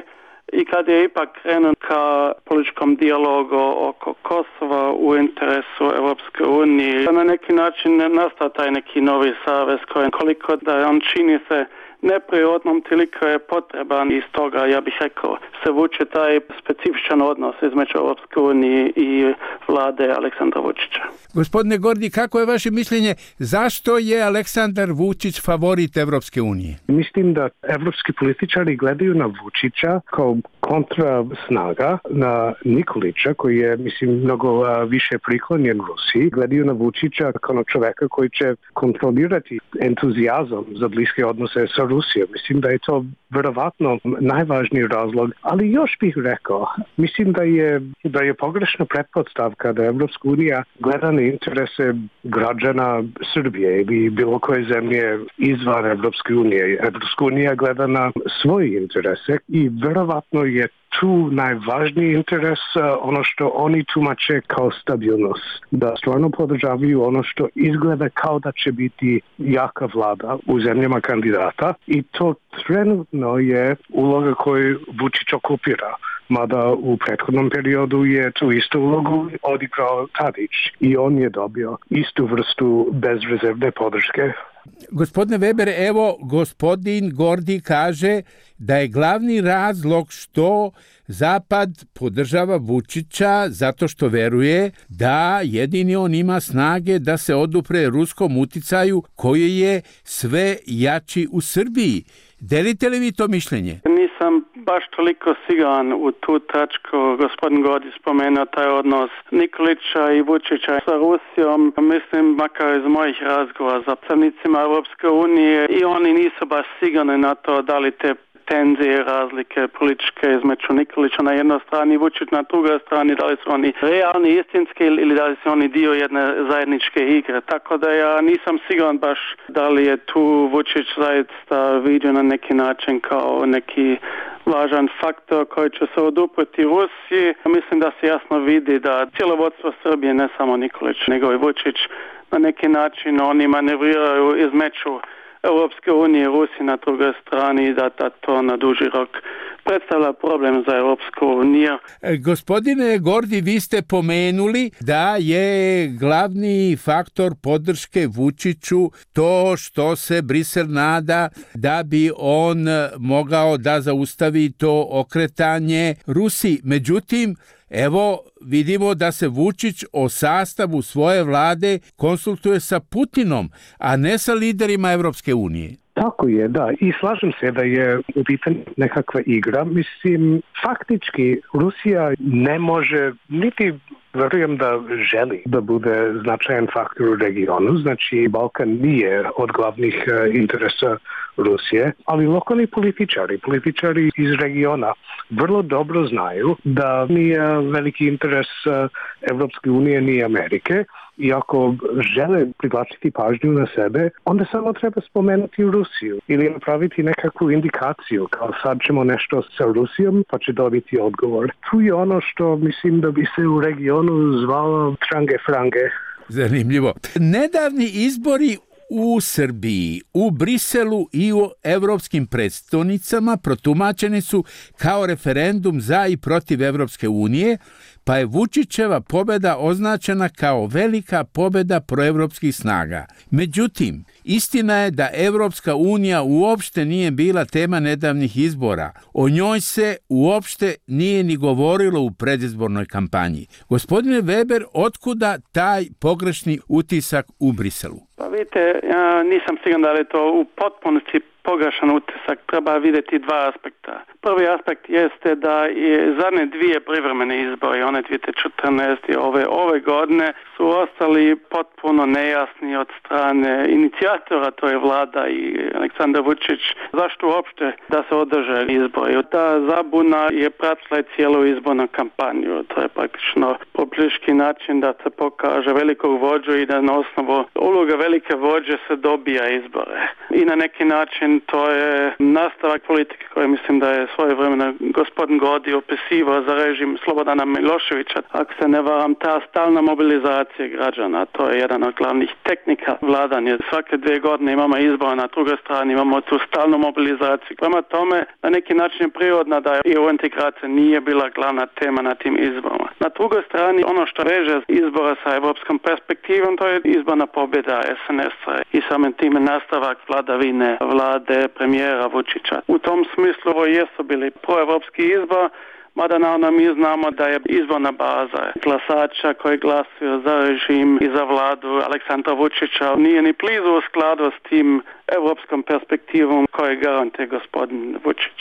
i kad je ipak krenuo ka političkom dijalogu oko Kosova u interesu Evropske unije, na neki način nastao taj neki novi savez koji koliko da on čini se neprirodnom, toliko je potreban, i stoga ja bih rekao se vuče taj specifičan odnos između Evropske unije i vlade Aleksandra Vučića. Gospodine Gordi, kako je vaše mišljenje, zašto je Aleksandar Vučić favorit Evropske unije? Mislim da evropski političari gledaju na Vučića kao kontra snaga na Nikolića, koji je, mislim, mnogo više priklonjen Rusiji. Gledaju na Vučića kao čoveka koji će kontrolirati entuzijazam za bliske odnose sa Rusijom. Mislim da je to verovatno najvažniji razlog, ali još bih rekao, mislim da je, da je pogrešna pretpostavka da Evropska unija gleda na interese građana Srbije ili bilo koje zemlje izvan Evropske unije. Evropska unija gleda na svoje interese i verovatno je tu najvažniji interes ono što oni tumače kao stabilnost. Da stvarno podržavaju ono što izgleda kao da će biti jaka vlada u zemljama kandidata, i to trenutno je uloga koju Vučić okupira. Mada u prethodnom periodu je tu istu ulogu odigrao Tadić i on je dobio istu vrstu bezrezervne podrške. Gospodine Weber, evo gospodin Gordi kaže da je glavni razlog što Zapad podržava Vučića zato što veruje da jedini on ima snage da se odupre ruskom uticaju koji je sve jači u Srbiji. Delite li vi to mišljenje? Nisam baš toliko siguran u tu tačku. Gospodin Gordi spomenuo taj odnos Nikolića i Vučića sa Rusijom. Mislim, makar iz mojih razgovora sa predstavnicima Evropske unije, i oni nisu baš sigurni na to da li te tenzije, razlike političke između Nikolića na jednoj strani i Vučić na drugoj strani, da li su oni realni, istinski ili da li su oni dio jedne zajedničke igre. Tako da ja nisam siguran baš da li je tu Vučić zaista vidio na neki način kao neki važan faktor koji će se odupreti Rusiji. Mislim da se jasno vidi da cijelo vodstvo Srbije, ne samo Nikolić, nego i Vučić, na neki način oni manevriraju između Europske unije i Rusije na drugoj strani i da, da to na duži rok predstavlja problem za Europsku uniju. E, gospodine Gordi, vi ste pomenuli da je glavni faktor podrške Vučiću to što se Brisel nada da bi on mogao da zaustavi to okretanje Rusiji. Međutim, evo vidimo da se Vučić o sastavu svoje vlade konsultuje sa Putinom, a ne sa liderima Evropske unije. Tako je, da. I slažem se da je u pitanju nekakva igra. Mislim, faktički Rusija ne može, niti verujem da želi da bude značajan faktor u regionu. Znači, Balkan nije od glavnih interesa Rusije, ali lokalni političari, političari iz regiona vrlo dobro znaju da nije veliki interes Evropske unije ni Amerike i ako žele privlačiti pažnju na sebe, onda samo treba spomenuti Rusiju ili napraviti nekakvu indikaciju kao sad ćemo nešto sa Rusijom pa će dobiti odgovor. Tu je ono što mislim da bi se u regionu zvalo trange frange. Zanimljivo. Nedavni izbori u Srbiji, u Briselu i u evropskim predstavnicama protumačeni su kao referendum za i protiv Evropske unije, pa je Vučićeva pobjeda označena kao velika pobjeda proevropskih snaga. Međutim, istina je da Evropska unija uopšte nije bila tema nedavnih izbora. O njoj se uopšte nije ni govorilo u predizbornoj kampanji. Gospodine Weber, otkuda taj pogrešni utisak u Briselu? Pa vidite, ja nisam siguran da li je to u potpunosti pogrešan utisak. Treba vidjeti dva aspekta. Prvi aspekt jeste da je zadnje dvije privremene izbore, one dvije tisuće četrnaeste i ove, ove godine, su ostali potpuno nejasni od strane inicijatora, to je vlada i Aleksandar Vučić, zašto uopšte da se održe izbori. Ta zabuna je pratila cijelu izbornu kampanju. To je praktično pobliški način da se pokaže velikog vođu i da na osnovu uloga velike vođe se dobija izbore. I na neki način to je nastavak politike koje mislim da je svoje vremena gospodin Gordi opisivao za režim Slobodana Miloševića. Ako se ne varam, ta stalna mobilizacija građana, to je jedan od glavnih tehnika vladanja. Svake dvije godine imamo izbor, na drugoj strani imamo tu stalnu mobilizaciju. Prema tome, na neki način je prirodno da i u integracija nije bila glavna tema na tim izborima. Na drugoj strani, ono što veže izbora sa evropskom perspektivom, to je izborna pobjeda es en es-a i samim time nastavak vladavine vlade premijera Vučića. U tom smislu ovo jesu bili proevropski izbor, mada naravno mi znamo da je izborna baza glasača koji glasuju za režim i za vladu Aleksandra Vučića nije ni blizu u skladu s tim evropskom perspektivom koje garantuje gospodin Vučić.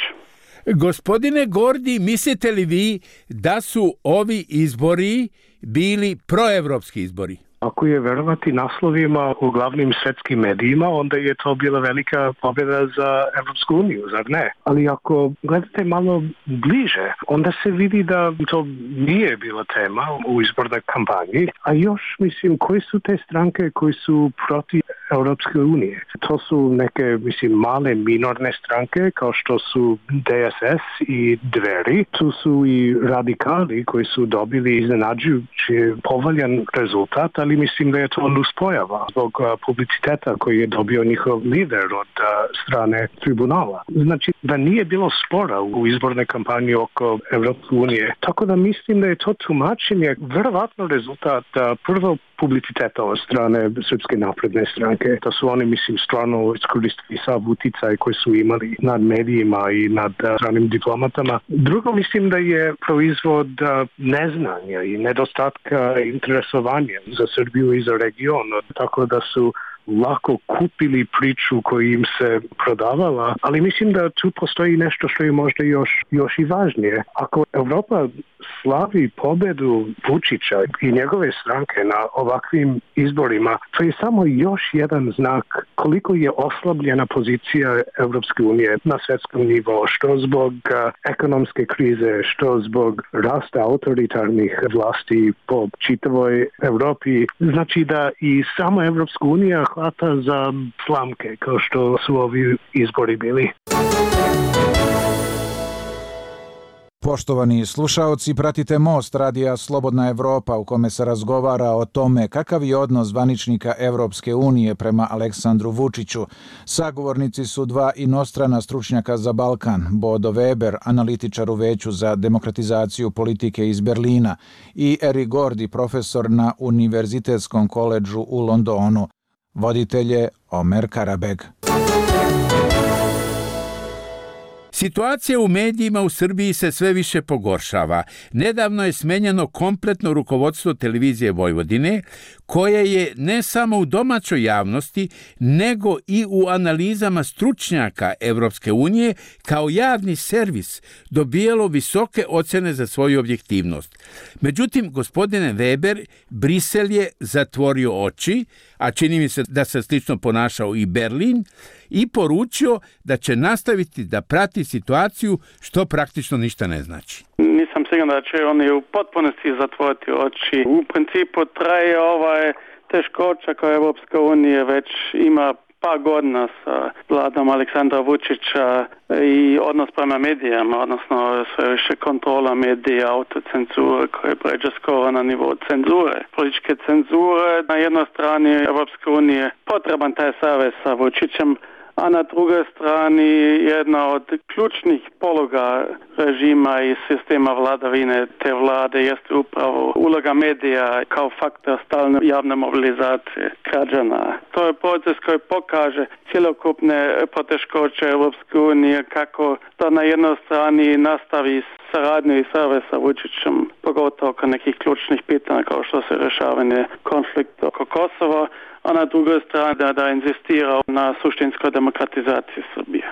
Gospodine Gordi, mislite li vi da su ovi izbori bili proevropski izbori? Ako je verovati naslovima u glavnim svetskim medijima, onda je to bila velika pobjeda za Evropsku uniju, zar ne? Ali ako gledate malo bliže, onda se vidi da to nije bila tema u izbornoj kampanji, a još, mislim, koji su te stranke koji su protiv Evropske unije? To su neke, mislim, male minorne stranke kao što su de es es i Dveri. Tu su i radikali koji su dobili iznenađujući povoljan rezultat, ali mislim da je to nuspojava zbog publiciteta koji je dobio njihov lider od strane tribunala. Znači da nije bilo spora u izbornoj kampanji oko Evropske unije. Tako da mislim da je to tumačenje verovatno rezultat prvo publiciteta od strane Srpske napredne stranke. Da su oni, mislim, stvarno iskoristili sav uticaj koji su imali nad medijima i nad stranim diplomatama. Drugo, mislim da je proizvod neznanja i nedostatka interesovanja za Srbiju i za region. Tako da su lako kupili priču koju im se prodavala, ali mislim da tu postoji nešto što je možda još, još i važnije. Ako Europa slavi pobedu Vučića i njegove stranke na ovakvim izborima, to je samo još jedan znak koliko je oslabljena pozicija Evropske unije na svetskom nivou, što zbog ekonomske krize, što zbog rasta autoritarnih vlasti po čitavoj Evropi. Znači da i sama Evropska unija hvata za slamke, kao što su ovi izbori bili. Poštovani slušaoci, pratite Most radija Slobodna Evropa u kome se razgovara o tome kakav je odnos zvaničnika Evropske unije prema Aleksandru Vučiću. Sagovornici su dva inostrana stručnjaka za Balkan, Bodo Weber, analitičar u Veću za demokratizaciju politike iz Berlina, i Eric Gordy, profesor na Univerzitetskom koledžu u Londonu. Voditelj je Omer Karabeg. Situacija u medijima u Srbiji se sve više pogoršava. Nedavno je smenjeno kompletno rukovodstvo televizije Vojvodine, koje je ne samo u domaćoj javnosti, nego i u analizama stručnjaka Evropske unije kao javni servis dobijalo visoke ocene za svoju objektivnost. Međutim, gospodine Weber, Brisel je zatvorio oči, a čini mi se da se slično ponašao i Berlin, i poručio da će nastaviti da prati situaciju, što praktično ništa ne znači. Nisam siguran da će oni u potpunosti zatvoriti oči. U principu traje ovaj teškoća koja Evropska unija već ima par godina sa vladom Aleksandra Vučića i odnos prema medijama, odnosno sve više kontrola medija, autocenzura koja pređe skoro na nivo cenzure. Političke cenzure, na jednoj strani Evropske unije potreban taj savez sa Vučićem, a na drugoj strani jedna od ključnih pologa režima i sistema vladavine te vlade jeste upravo uloga medija kao faktor stalne javne mobilizacije građana. To je proces koji pokaže cjelokupne poteškoće Evropske unije, kako da na jednoj strani nastavi saradnju i savez sa Vučićem, pogotovo oko nekih ključnih pitanja kao što se rješavanje konflikta oko Kosova, a na drugoj strani da, da insistira na suštinskoj demokratizaciji Srbije.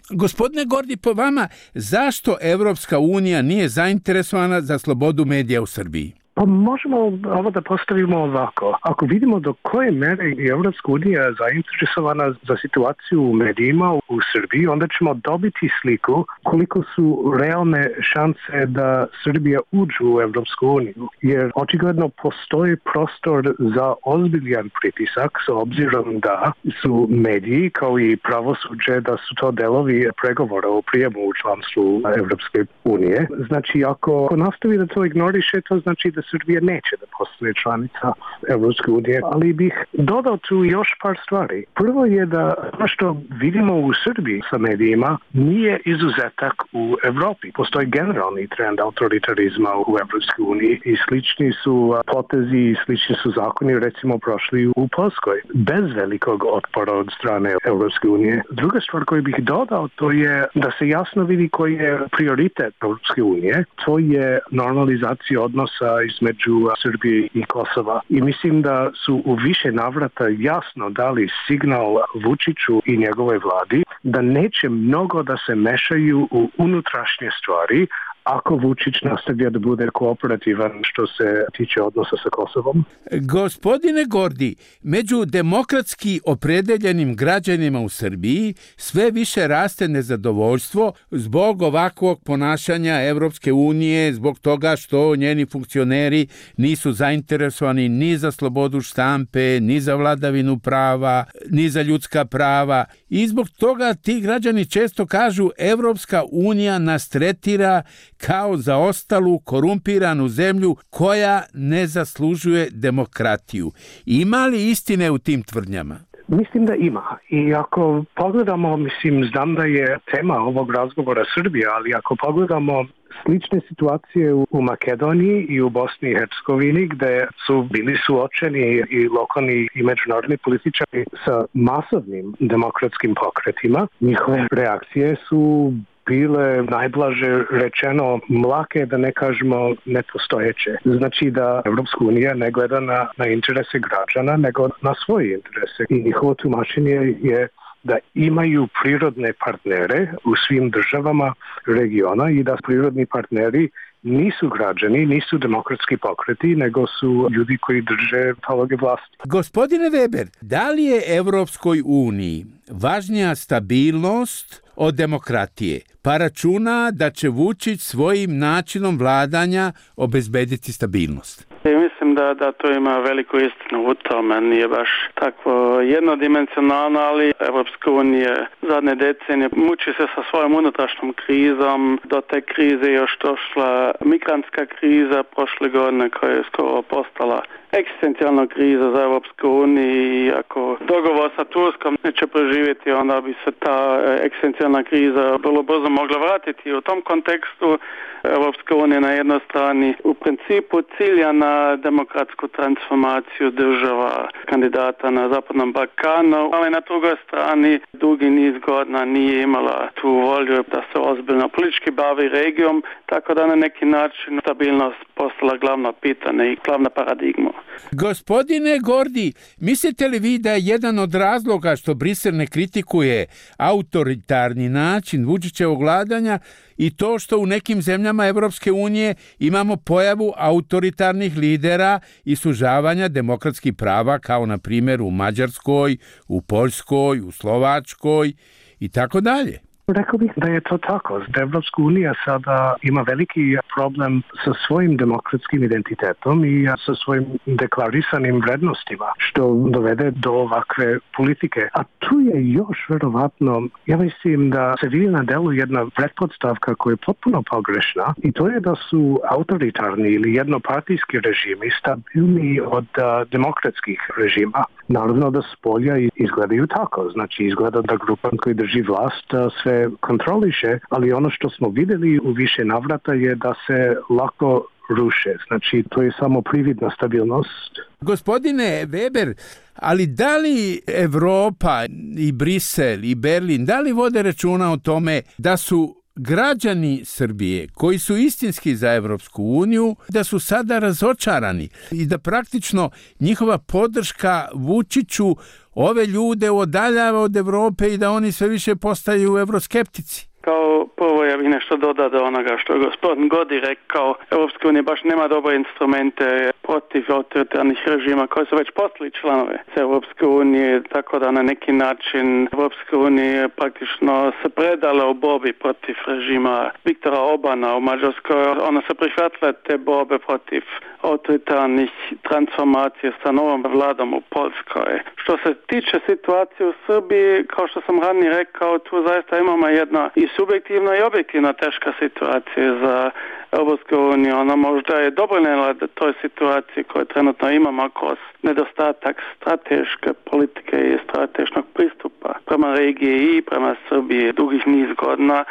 Gospodine Gordi, po vama, zašto Evropska unija nije zainteresovana za slobodu medija u Srbiji? Pa možemo ovo da postavimo ovako. Ako vidimo do koje mere je Evropska unija zainteresovana za situaciju u medijima u Srbiji, onda ćemo dobiti sliku koliko su realne šanse da Srbija uđe u Evropsku uniju. Jer očigledno postoji prostor za ozbiljan pritisak s obzirom da su mediji kao i pravosuđe da su to delovi pregovora o prijemu u članstvu Evropske unije. Znači ako nastavi da to ignoriše, to znači da Srbija neće da postane članica Evropske unije, ali bih dodao tu još par stvari. Prvo je da ono što vidimo u Srbiji sa medijima nije izuzetak u Evropi. Postoji generalni trend autoritarizma u Evropskoj uniji i slični su potezi i slični su zakoni recimo prošli u Poljskoj bez velikog otpora od strane Evropske unije. Druga stvar koju bih dodao to je da se jasno vidi koji je prioritet Evropske unije. To je normalizacija odnosa između Srbije i Kosova. I mislim da su u više navrata jasno dali signal Vučiću i njegove vladi da neće mnogo da se mešaju u unutrašnje stvari ako Vučić nastavlja da bude kooperativan što se tiče odnosa sa Kosovom. Gospodine Gordi, među demokratski opredeljenim građanima u Srbiji sve više raste nezadovoljstvo zbog ovakvog ponašanja Evropske unije, zbog toga što njeni funkcioneri nisu zainteresovani ni za slobodu štampe, ni za vladavinu prava, ni za ljudska prava. I zbog toga ti građani često kažu Evropska unija nas tretira kao zaostalu, korumpiranu zemlju koja ne zaslužuje demokratiju. Ima li istine u tim tvrdnjama? Mislim da ima. I ako pogledamo, mislim, znam da je tema ovog razgovora Srbija, ali ako pogledamo slične situacije u Makedoniji i u Bosni i Hercegovini gde su bili suočeni i lokalni i međunarodni političari sa masovnim demokratskim pokretima, njihove reakcije su bile najblaže rečeno mlake, da ne kažemo nepostojeće. Znači da Evropska unija ne gleda na, na interese građana, nego na svoje interese. I njihovo tumačenje je da imaju prirodne partnere u svim državama regiona i da prirodni partneri nisu građani, nisu demokratski pokreti, nego su ljudi koji drže paloge vlasti. Gospodine Weber, da li je Evropskoj uniji važnija stabilnost od demokratije, pa računa da će Vučić svojim načinom vladanja obezbediti stabilnost? I mislim da, da to ima veliku istinu u tome. Nije baš tako jednodimensionalno, ali Evropska unija zadnje decenije muči se sa svojom unutrašnjom krizom. Do te krize još došla migrantska kriza prošle godine koja je skoro postala egzistencijalna kriza za Evropsku uniju i ako dogovor sa Turskom neće preživjeti, onda bi se ta egzistencijalna kriza vrlo brzo mogla vratiti. U tom kontekstu Evropska unija na jednoj strani u principu cilja na demokratsku transformaciju država kandidata na Zapadnom Balkanu, ali na drugoj strani dugi niz godina nije imala tu volju da se ozbiljno politički bavi regijom, tako da na neki način stabilnost postala glavno pitanje i glavna paradigma. Gospodine Gordi, mislite li vi da je jedan od razloga što Brisel ne kritikuje autoritarni način Vučićevog vladanja i to što u nekim zemljama Evropske unije imamo pojavu autoritarnih lidera i sužavanja demokratskih prava, kao na primjer u Mađarskoj, u Poljskoj, u Slovačkoj i tako dalje? Rekao bih da je to tako. Da Evropska unija sada ima veliki problem sa svojim demokratskim identitetom i sa svojim deklarisanim vrednostima, što dovede do ovakve politike. A tu je još verovatno, ja mislim da se vidi na delu jedna pretpostavka koja je potpuno pogrešna i to je da su autoritarni ili jednopartijski režimi stabilni od a, demokratskih režima. Naravno da s polja izgledaju tako. Znači izgleda da grupa koji drži vlast a, sve kontroliše, ali ono što smo vidjeli u više navrata je da se lako ruše. Znači, to je samo prividna stabilnost. Gospodine Weber, ali da li Evropa i Brisel i Berlin, da li vode računa o tome da su građani Srbije koji su istinski za Evropsku uniju, da su sada razočarani i da praktično njihova podrška Vučiću ove ljude odaljava od Evrope i da oni sve više postaju evroskeptici? Kao prvo ja bih nešto dodao do onoga što je gospodin Godi rekao. Evropska unija baš nema dobre instrumente protiv autoritarnih režima koji su već postali članove Evropske unije, tako da na neki način Evropska unija praktično se predala u borbi protiv režima Viktora Orbana u Mađarskoj. Ona se prihvatila te borbe protiv autoritarnih transformacija sa novom vladom u Poljskoj. Što se tiče situacije u Srbiji, kao što sam ranije rekao, tu zaista imamo jedna i subjektivna i objektivna teška situacija za Evropsku uniju. Ona možda je dobrovoljna da toj situaciji koju trenutno imamo kroz nedostatak strateške politike i strateškog pristupa prema regiji i prema Srbiji dugih niz godina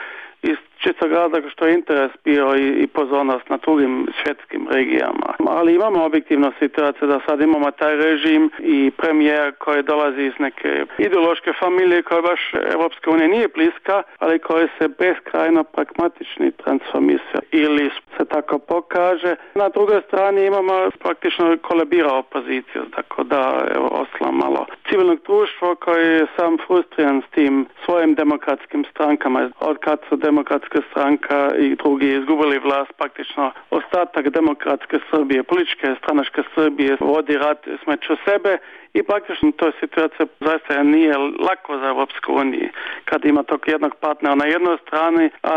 iz čistog razloga što je interes bio i, i pozornost na drugim svjetskim regijama. Ali imamo objektivnu situaciju da sad imamo taj režim i premijer koji dolazi iz neke ideološke familije koja baš Evropska unija nije bliska, ali koji se beskrajno pragmatični transformisija ili se tako pokaže. Na drugoj strani imamo praktično kolebira opoziciju, tako da evo, ostalo malo civilnog društva koji je sam frustriran s tim svojim demokratskim strankama. Od kad su demokratske stranka i drugi izgubili vlast, praktično ostatak demokratske Srbije, političke stranačke Srbije vodi rat smeću sebe i praktično to situacija zaista nije lako za Evropsku uniju kad ima tog jednog partnera na jednoj strani, a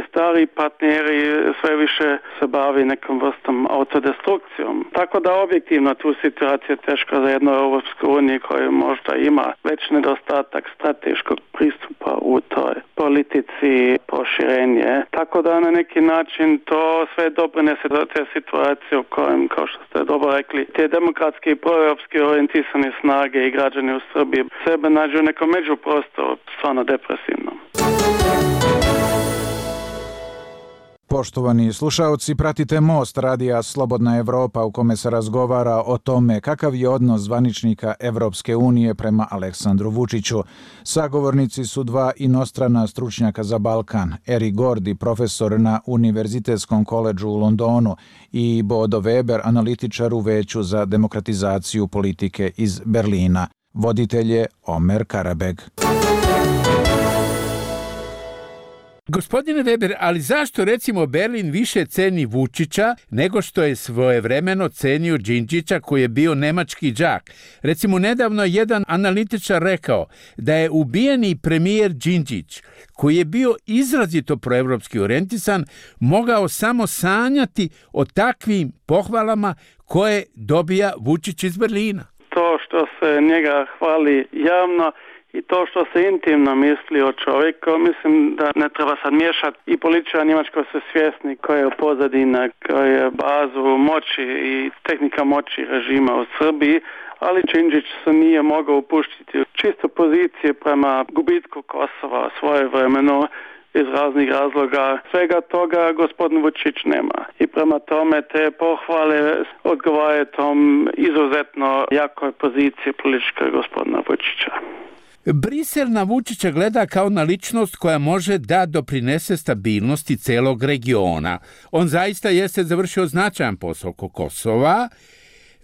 stari partneri sve više se bavi nekom vrstom autodestrukcijom. Tako da objektivno tu situacija je teška za jednu Evropsku uniju koja možda ima već nedostatak strateškog pristupa u toj politici proširenje. Tako da na neki način to sve doprinese do te situacije u kojem, kao što ste dobro rekli, te demokratski i proevropski orijentisani snage i građani u Srbiji sebe nađu u nekom međuprostoru, stvarno depresivnom. Poštovani slušaoci, pratite Most radija Slobodna Evropa u kome se razgovara o tome kakav je odnos zvaničnika Evropske unije prema Aleksandru Vučiću. Sagovornici su dva inostrana stručnjaka za Balkan, Erik Gordi, profesor na Univerzitetskom koledžu u Londonu, i Bodo Weber, analitičar u Veću za demokratizaciju politike iz Berlina. Voditelj je Omer Karabeg. Gospodine Weber, ali zašto recimo Berlin više ceni Vučića nego što je svojevremeno cenio Đinđića koji je bio nemački đak? Recimo nedavno jedan analitičar rekao da je ubijeni premijer Đinđić, koji je bio izrazito proevropski orijentisan, mogao samo sanjati o takvim pohvalama koje dobija Vučić iz Berlina. To što se njega hvali javno i to što se intimno misli o čovjeku, mislim da ne treba sad miješati. I političari njemačko su svjesni koja je pozadina, koja je bazu moći i tehnika moći režima u Srbiji, ali Đinđić se nije mogao upuštiti u čisto pozicije prema gubitku Kosova svoje vremeno iz raznih razloga. Svega toga gospodin Vučić nema. I prema tome te pohvale odgovaraju tom izuzetno jakoj poziciji političke gospodina Vučića. Brisel na Vučića gleda kao na ličnost koja može da doprinese stabilnosti celog regiona. On zaista jeste završio značajan posao oko Kosova.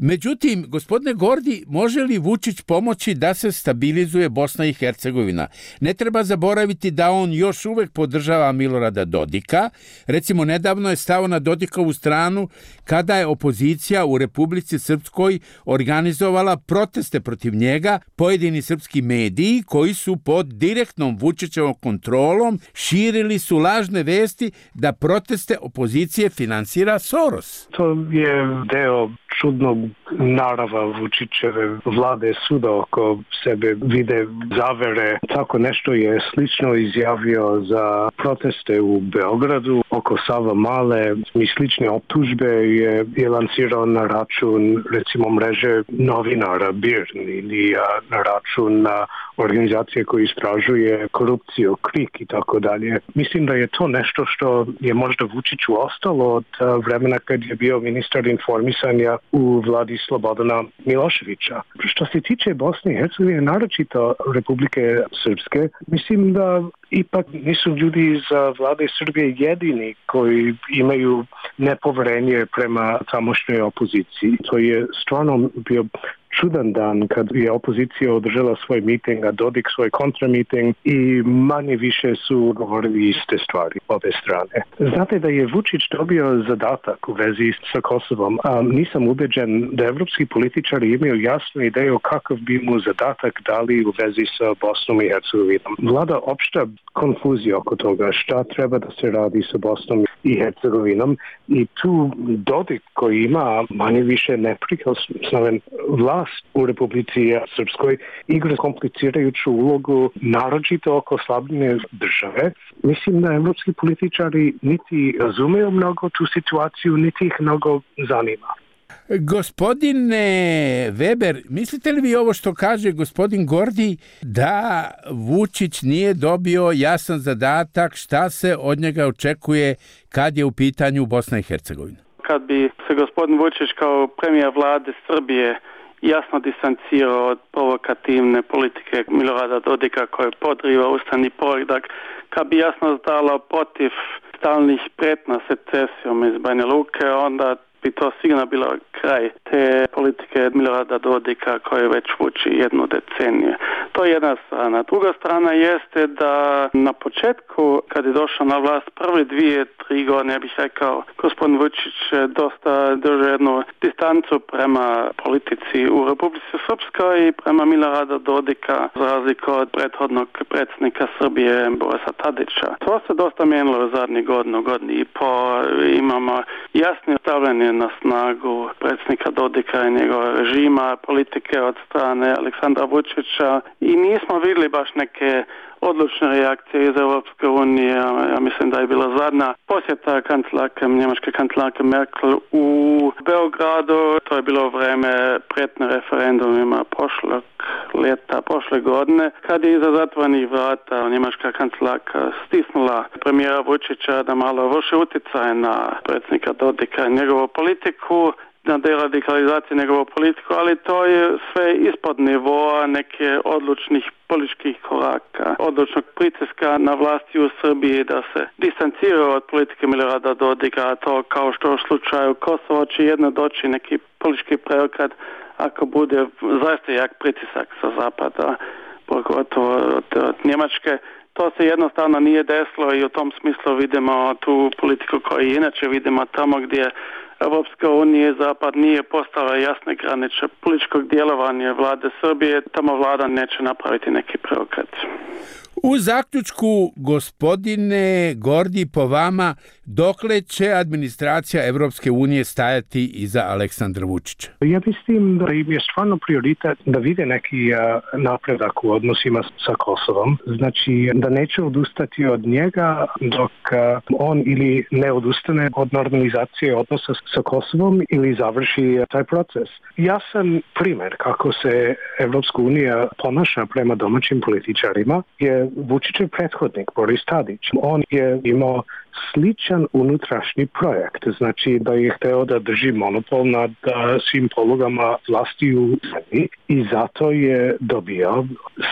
Međutim, gospodine Gordi, može li Vučić pomoći da se stabilizuje Bosna i Hercegovina? Ne treba zaboraviti da on još uvek podržava Milorada Dodika. Recimo, nedavno je stao na Dodikovu stranu kada je opozicija u Republici Srpskoj organizovala proteste protiv njega. Pojedini srpski mediji koji su pod direktnom Vučićevom kontrolom širili su lažne vesti da proteste opozicije finansira Soros. To je deo čudnog narava Vučićeve vlade, svuda oko sebe vide zavere. Tako nešto je slično izjavio za proteste u Beogradu oko Savamale. I slične optužbe je, je lansirao na račun recimo mreže novinara B I R ili na račun na organizacije koje istražuje korupciju, KRIK i tako dalje. Mislim da je to nešto što je možda Vučiću ostalo od vremena kad je bio ministar informisanja u vladi Slobodana Miloševića. Što se tiče Bosne i Hercegovine, naročito Republike Srpske, mislim da ipak nisu ljudi iz vlade Srbije jedini koji imaju nepoverenje prema tamošnjoj opoziciji. To je stvarno bio čudan dan kad je opozicija održala svoj miting, a Dodik svoj kontramiting i manje više su govorili iste stvari obe strane. Znate da je Vučić dobio zadatak u vezi sa Kosovom, a nisam ubeđen da evropski političari imaju jasnu ideju kakav bi mu zadatak dali u vezi sa Bosnom i Hercegovinom. Vlada opšta konfuzija oko toga šta treba da se radi sa Bosnom i Hercegovinom i tu Dodik koji ima manje više neprikosnoven vlast u Republici Srpskoj igra komplicirajuću ulogu naročito oko slabljenja države. Mislim da evropski političari niti razumeju mnogo tu situaciju, niti ih mnogo zanima. Gospodine Weber, mislite li vi ovo što kaže gospodin Gordi da Vučić nije dobio jasan zadatak šta se od njega očekuje kad je u pitanju Bosna i Hercegovina? Kad bi se gospodin Vučić kao premijer vlade Srbije jasno distancirao od provokativne politike Milorada Dodika koje podriva ustavni poredak, kad bi jasno stalo protiv stalnih pretnja secesijom iz Banja Luke, onda bi to sigurno bilo kraj te politike Milorada Dodika koje već vuči jednu deceniju. To je jedna strana. Druga strana jeste da na početku, kad je došao na vlast, prve dvije, tri godine, ja bih rekao, gospodin Vučić dosta držao jednu distancu prema politici u Republici Srpskoj i prema Milorada Dodika, za razliku od prethodnog predsjednika Srbije Borisa Tadića. To se dosta mijenilo u zadnjih godinu, godinu i po. Imamo jasno stavljanje na snagu predsjednika Dodika i njegova režima, politike od strane Aleksandra Vučića i nismo vidjeli baš neke odlučne reakcije iz Europske unije. Ja mislim da je bila zadnja posjeta kancelarke, njemačke kancelarke Merkel u Beogradu. To je bilo vreme pretne referendumima prošlog ljeta prošle godine, kad je iza zatvorenih vrata njemačka kancelarka stisnula premijera Vučića da malo vrši utjecaj na predsjednika Dodika i njegovu politiku, na deradikalizaciju njegovu politiku, ali to je sve ispod nivoa neke odlučnih političkih koraka, odlučnog pritiska na vlasti u Srbiji da se distanciraju od politike Milorada Dodika, to kao što u slučaju Kosovo će jedno doći neki politički preokret ako bude zaista jak pritisak sa zapada, pogotovo od, od Njemačke. To se jednostavno nije desilo i u tom smislu vidimo tu politiku koju inače vidimo tamo gdje Evropska unija i Zapad nije postala jasne granice političkog djelovanja vlade Srbije, tamo vlada neće napraviti neki preokret. U zaključku, gospodine Gordi, po vama, dokle će administracija Evropske unije stajati iza Aleksandra Vučića? Ja mislim da im je stvarno prioritet da vide neki napredak u odnosima sa Kosovom. Znači da neće odustati od njega dok on ili ne odustane od normalizacije odnosa sa Kosovom ili završi taj proces. Jasan primjer kako se Evropska unija ponaša prema domaćim političarima je Vučićev prethodnik Boris Tadić. On je imao sličan unutrašnji projekt, znači da je hteo da drži monopol nad svim polugama vlasti u zemlji i zato je dobio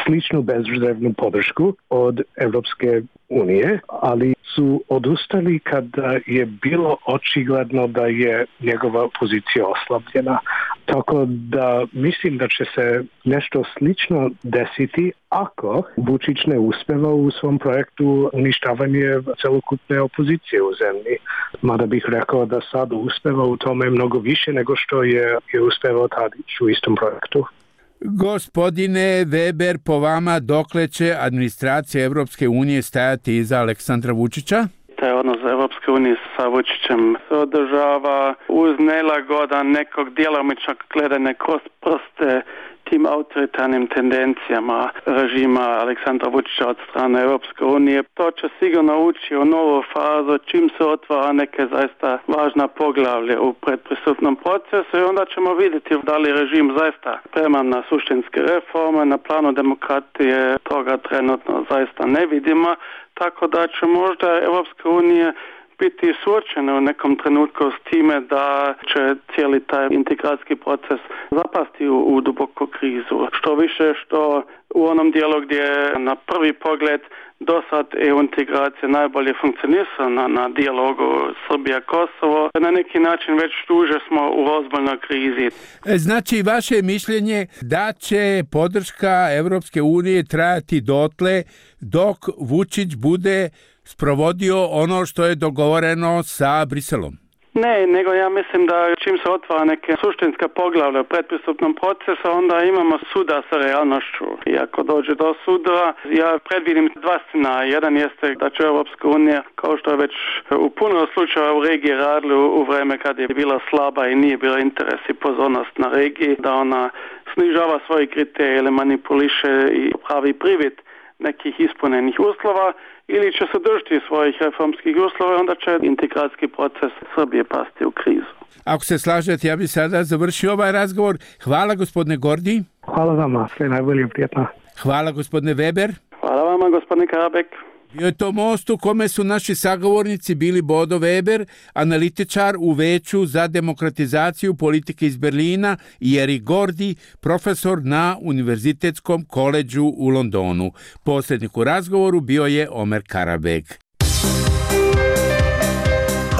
sličnu bezrezervnu podršku od Evropske unije, ali su odustali kada je bilo očigledno da je njegova pozicija oslabljena. Tako da mislim da će se nešto slično desiti ako Vučić ne uspeva u svom projektu uništavanje celokupne opozicije u zemlji. Mada bih rekao da sad uspeva u tome mnogo više nego što je, je uspevao Tadić u istom projektu. Gospodine Weber, po vama dokle će administracija Evropske unije stajati iza Aleksandra Vučića? Taj odnos Evropske unije sa Vučićem se održava uz nelagodan nekog djelomičnog gledanja kroz prste tim autoritarnim tendencijama režima Aleksandra Vučića od strane Evropske unije. To će sigurno ući u novu fazu čim se otvara neke zaista važna poglavlje u predpristupnom procesu i onda ćemo vidjeti da li režim zaista spreman na suštinske reforme, na planu demokratije toga trenutno zaista ne vidimo, tako da će možda Evropska unija biti suočena u nekom trenutku s time da će cijeli taj integracijski proces zapasti u, u duboku krizu. Što više što u onom dijelu gdje na prvi pogled do sad E U integracija najbolje funkcionira na, na dijalogu Srbija-Kosovo, na neki način već duže smo u ozbiljnoj krizi. Znači, vaše mišljenje da će podrška Evropske unije trajati dotle dok Vučić bude sprovodio ono što je dogovoreno sa Briselom? Ne, nego ja mislim da čim se otvara neke suštinska poglavlja u predpristupnom procesu, onda imamo suda sa realnošću. I ako dođe do suda, ja predvidim dva scenarija. Jedan jeste da će Evropska unija, kao što je već u puno slučajeva u regiji radili u vreme kad je bila slaba i nije bila interes i pozornost na regiji, da ona snižava svoje kriterije ili manipuliše i pravi privid nekih ispunenih uslova, ili će se držati svojih reformskih uslova, onda će integracijski proces Srbije pasti u krizu. Ako se slažete, ja bih sada završio ovaj razgovor. Hvala, gospodine Gordi. Hvala vama, sve najbolje, prijatno. Hvala, gospodine Weber. Hvala vama, gospodine Karabek. Bio je to most u kome su naši sagovornici bili Bodo Weber, analitičar u Veću za demokratizaciju politike iz Berlina, i Erik Gordi, profesor na Univerzitetskom koledžu u Londonu. Posljednik u razgovoru bio je Omer Karabek.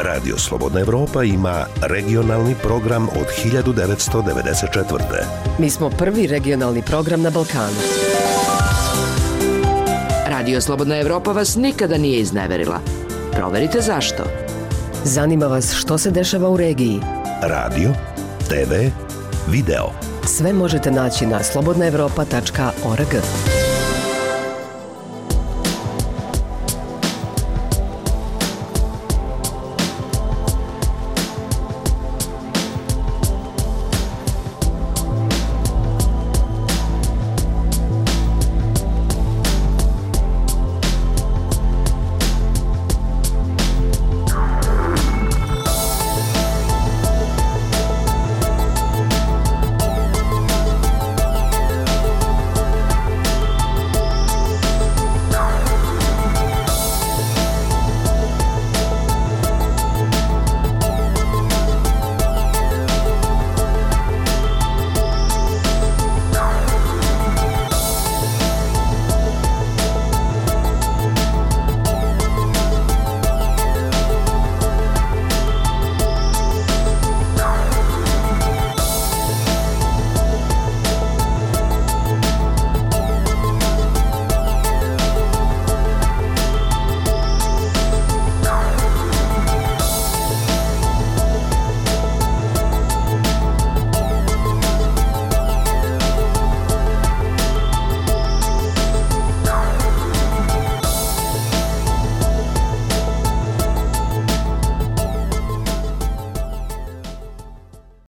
Radio Slobodna Evropa ima regionalni program od hiljadu devetsto devedeset četvrte. Mi smo prvi regionalni program na Balkanu. Radio Slobodna Evropa vas nikada nije izneverila. Proverite zašto. Zanima vas što se dešava u regiji. Radio, te ve, video. Sve možete naći na slobodna evropa tačka org.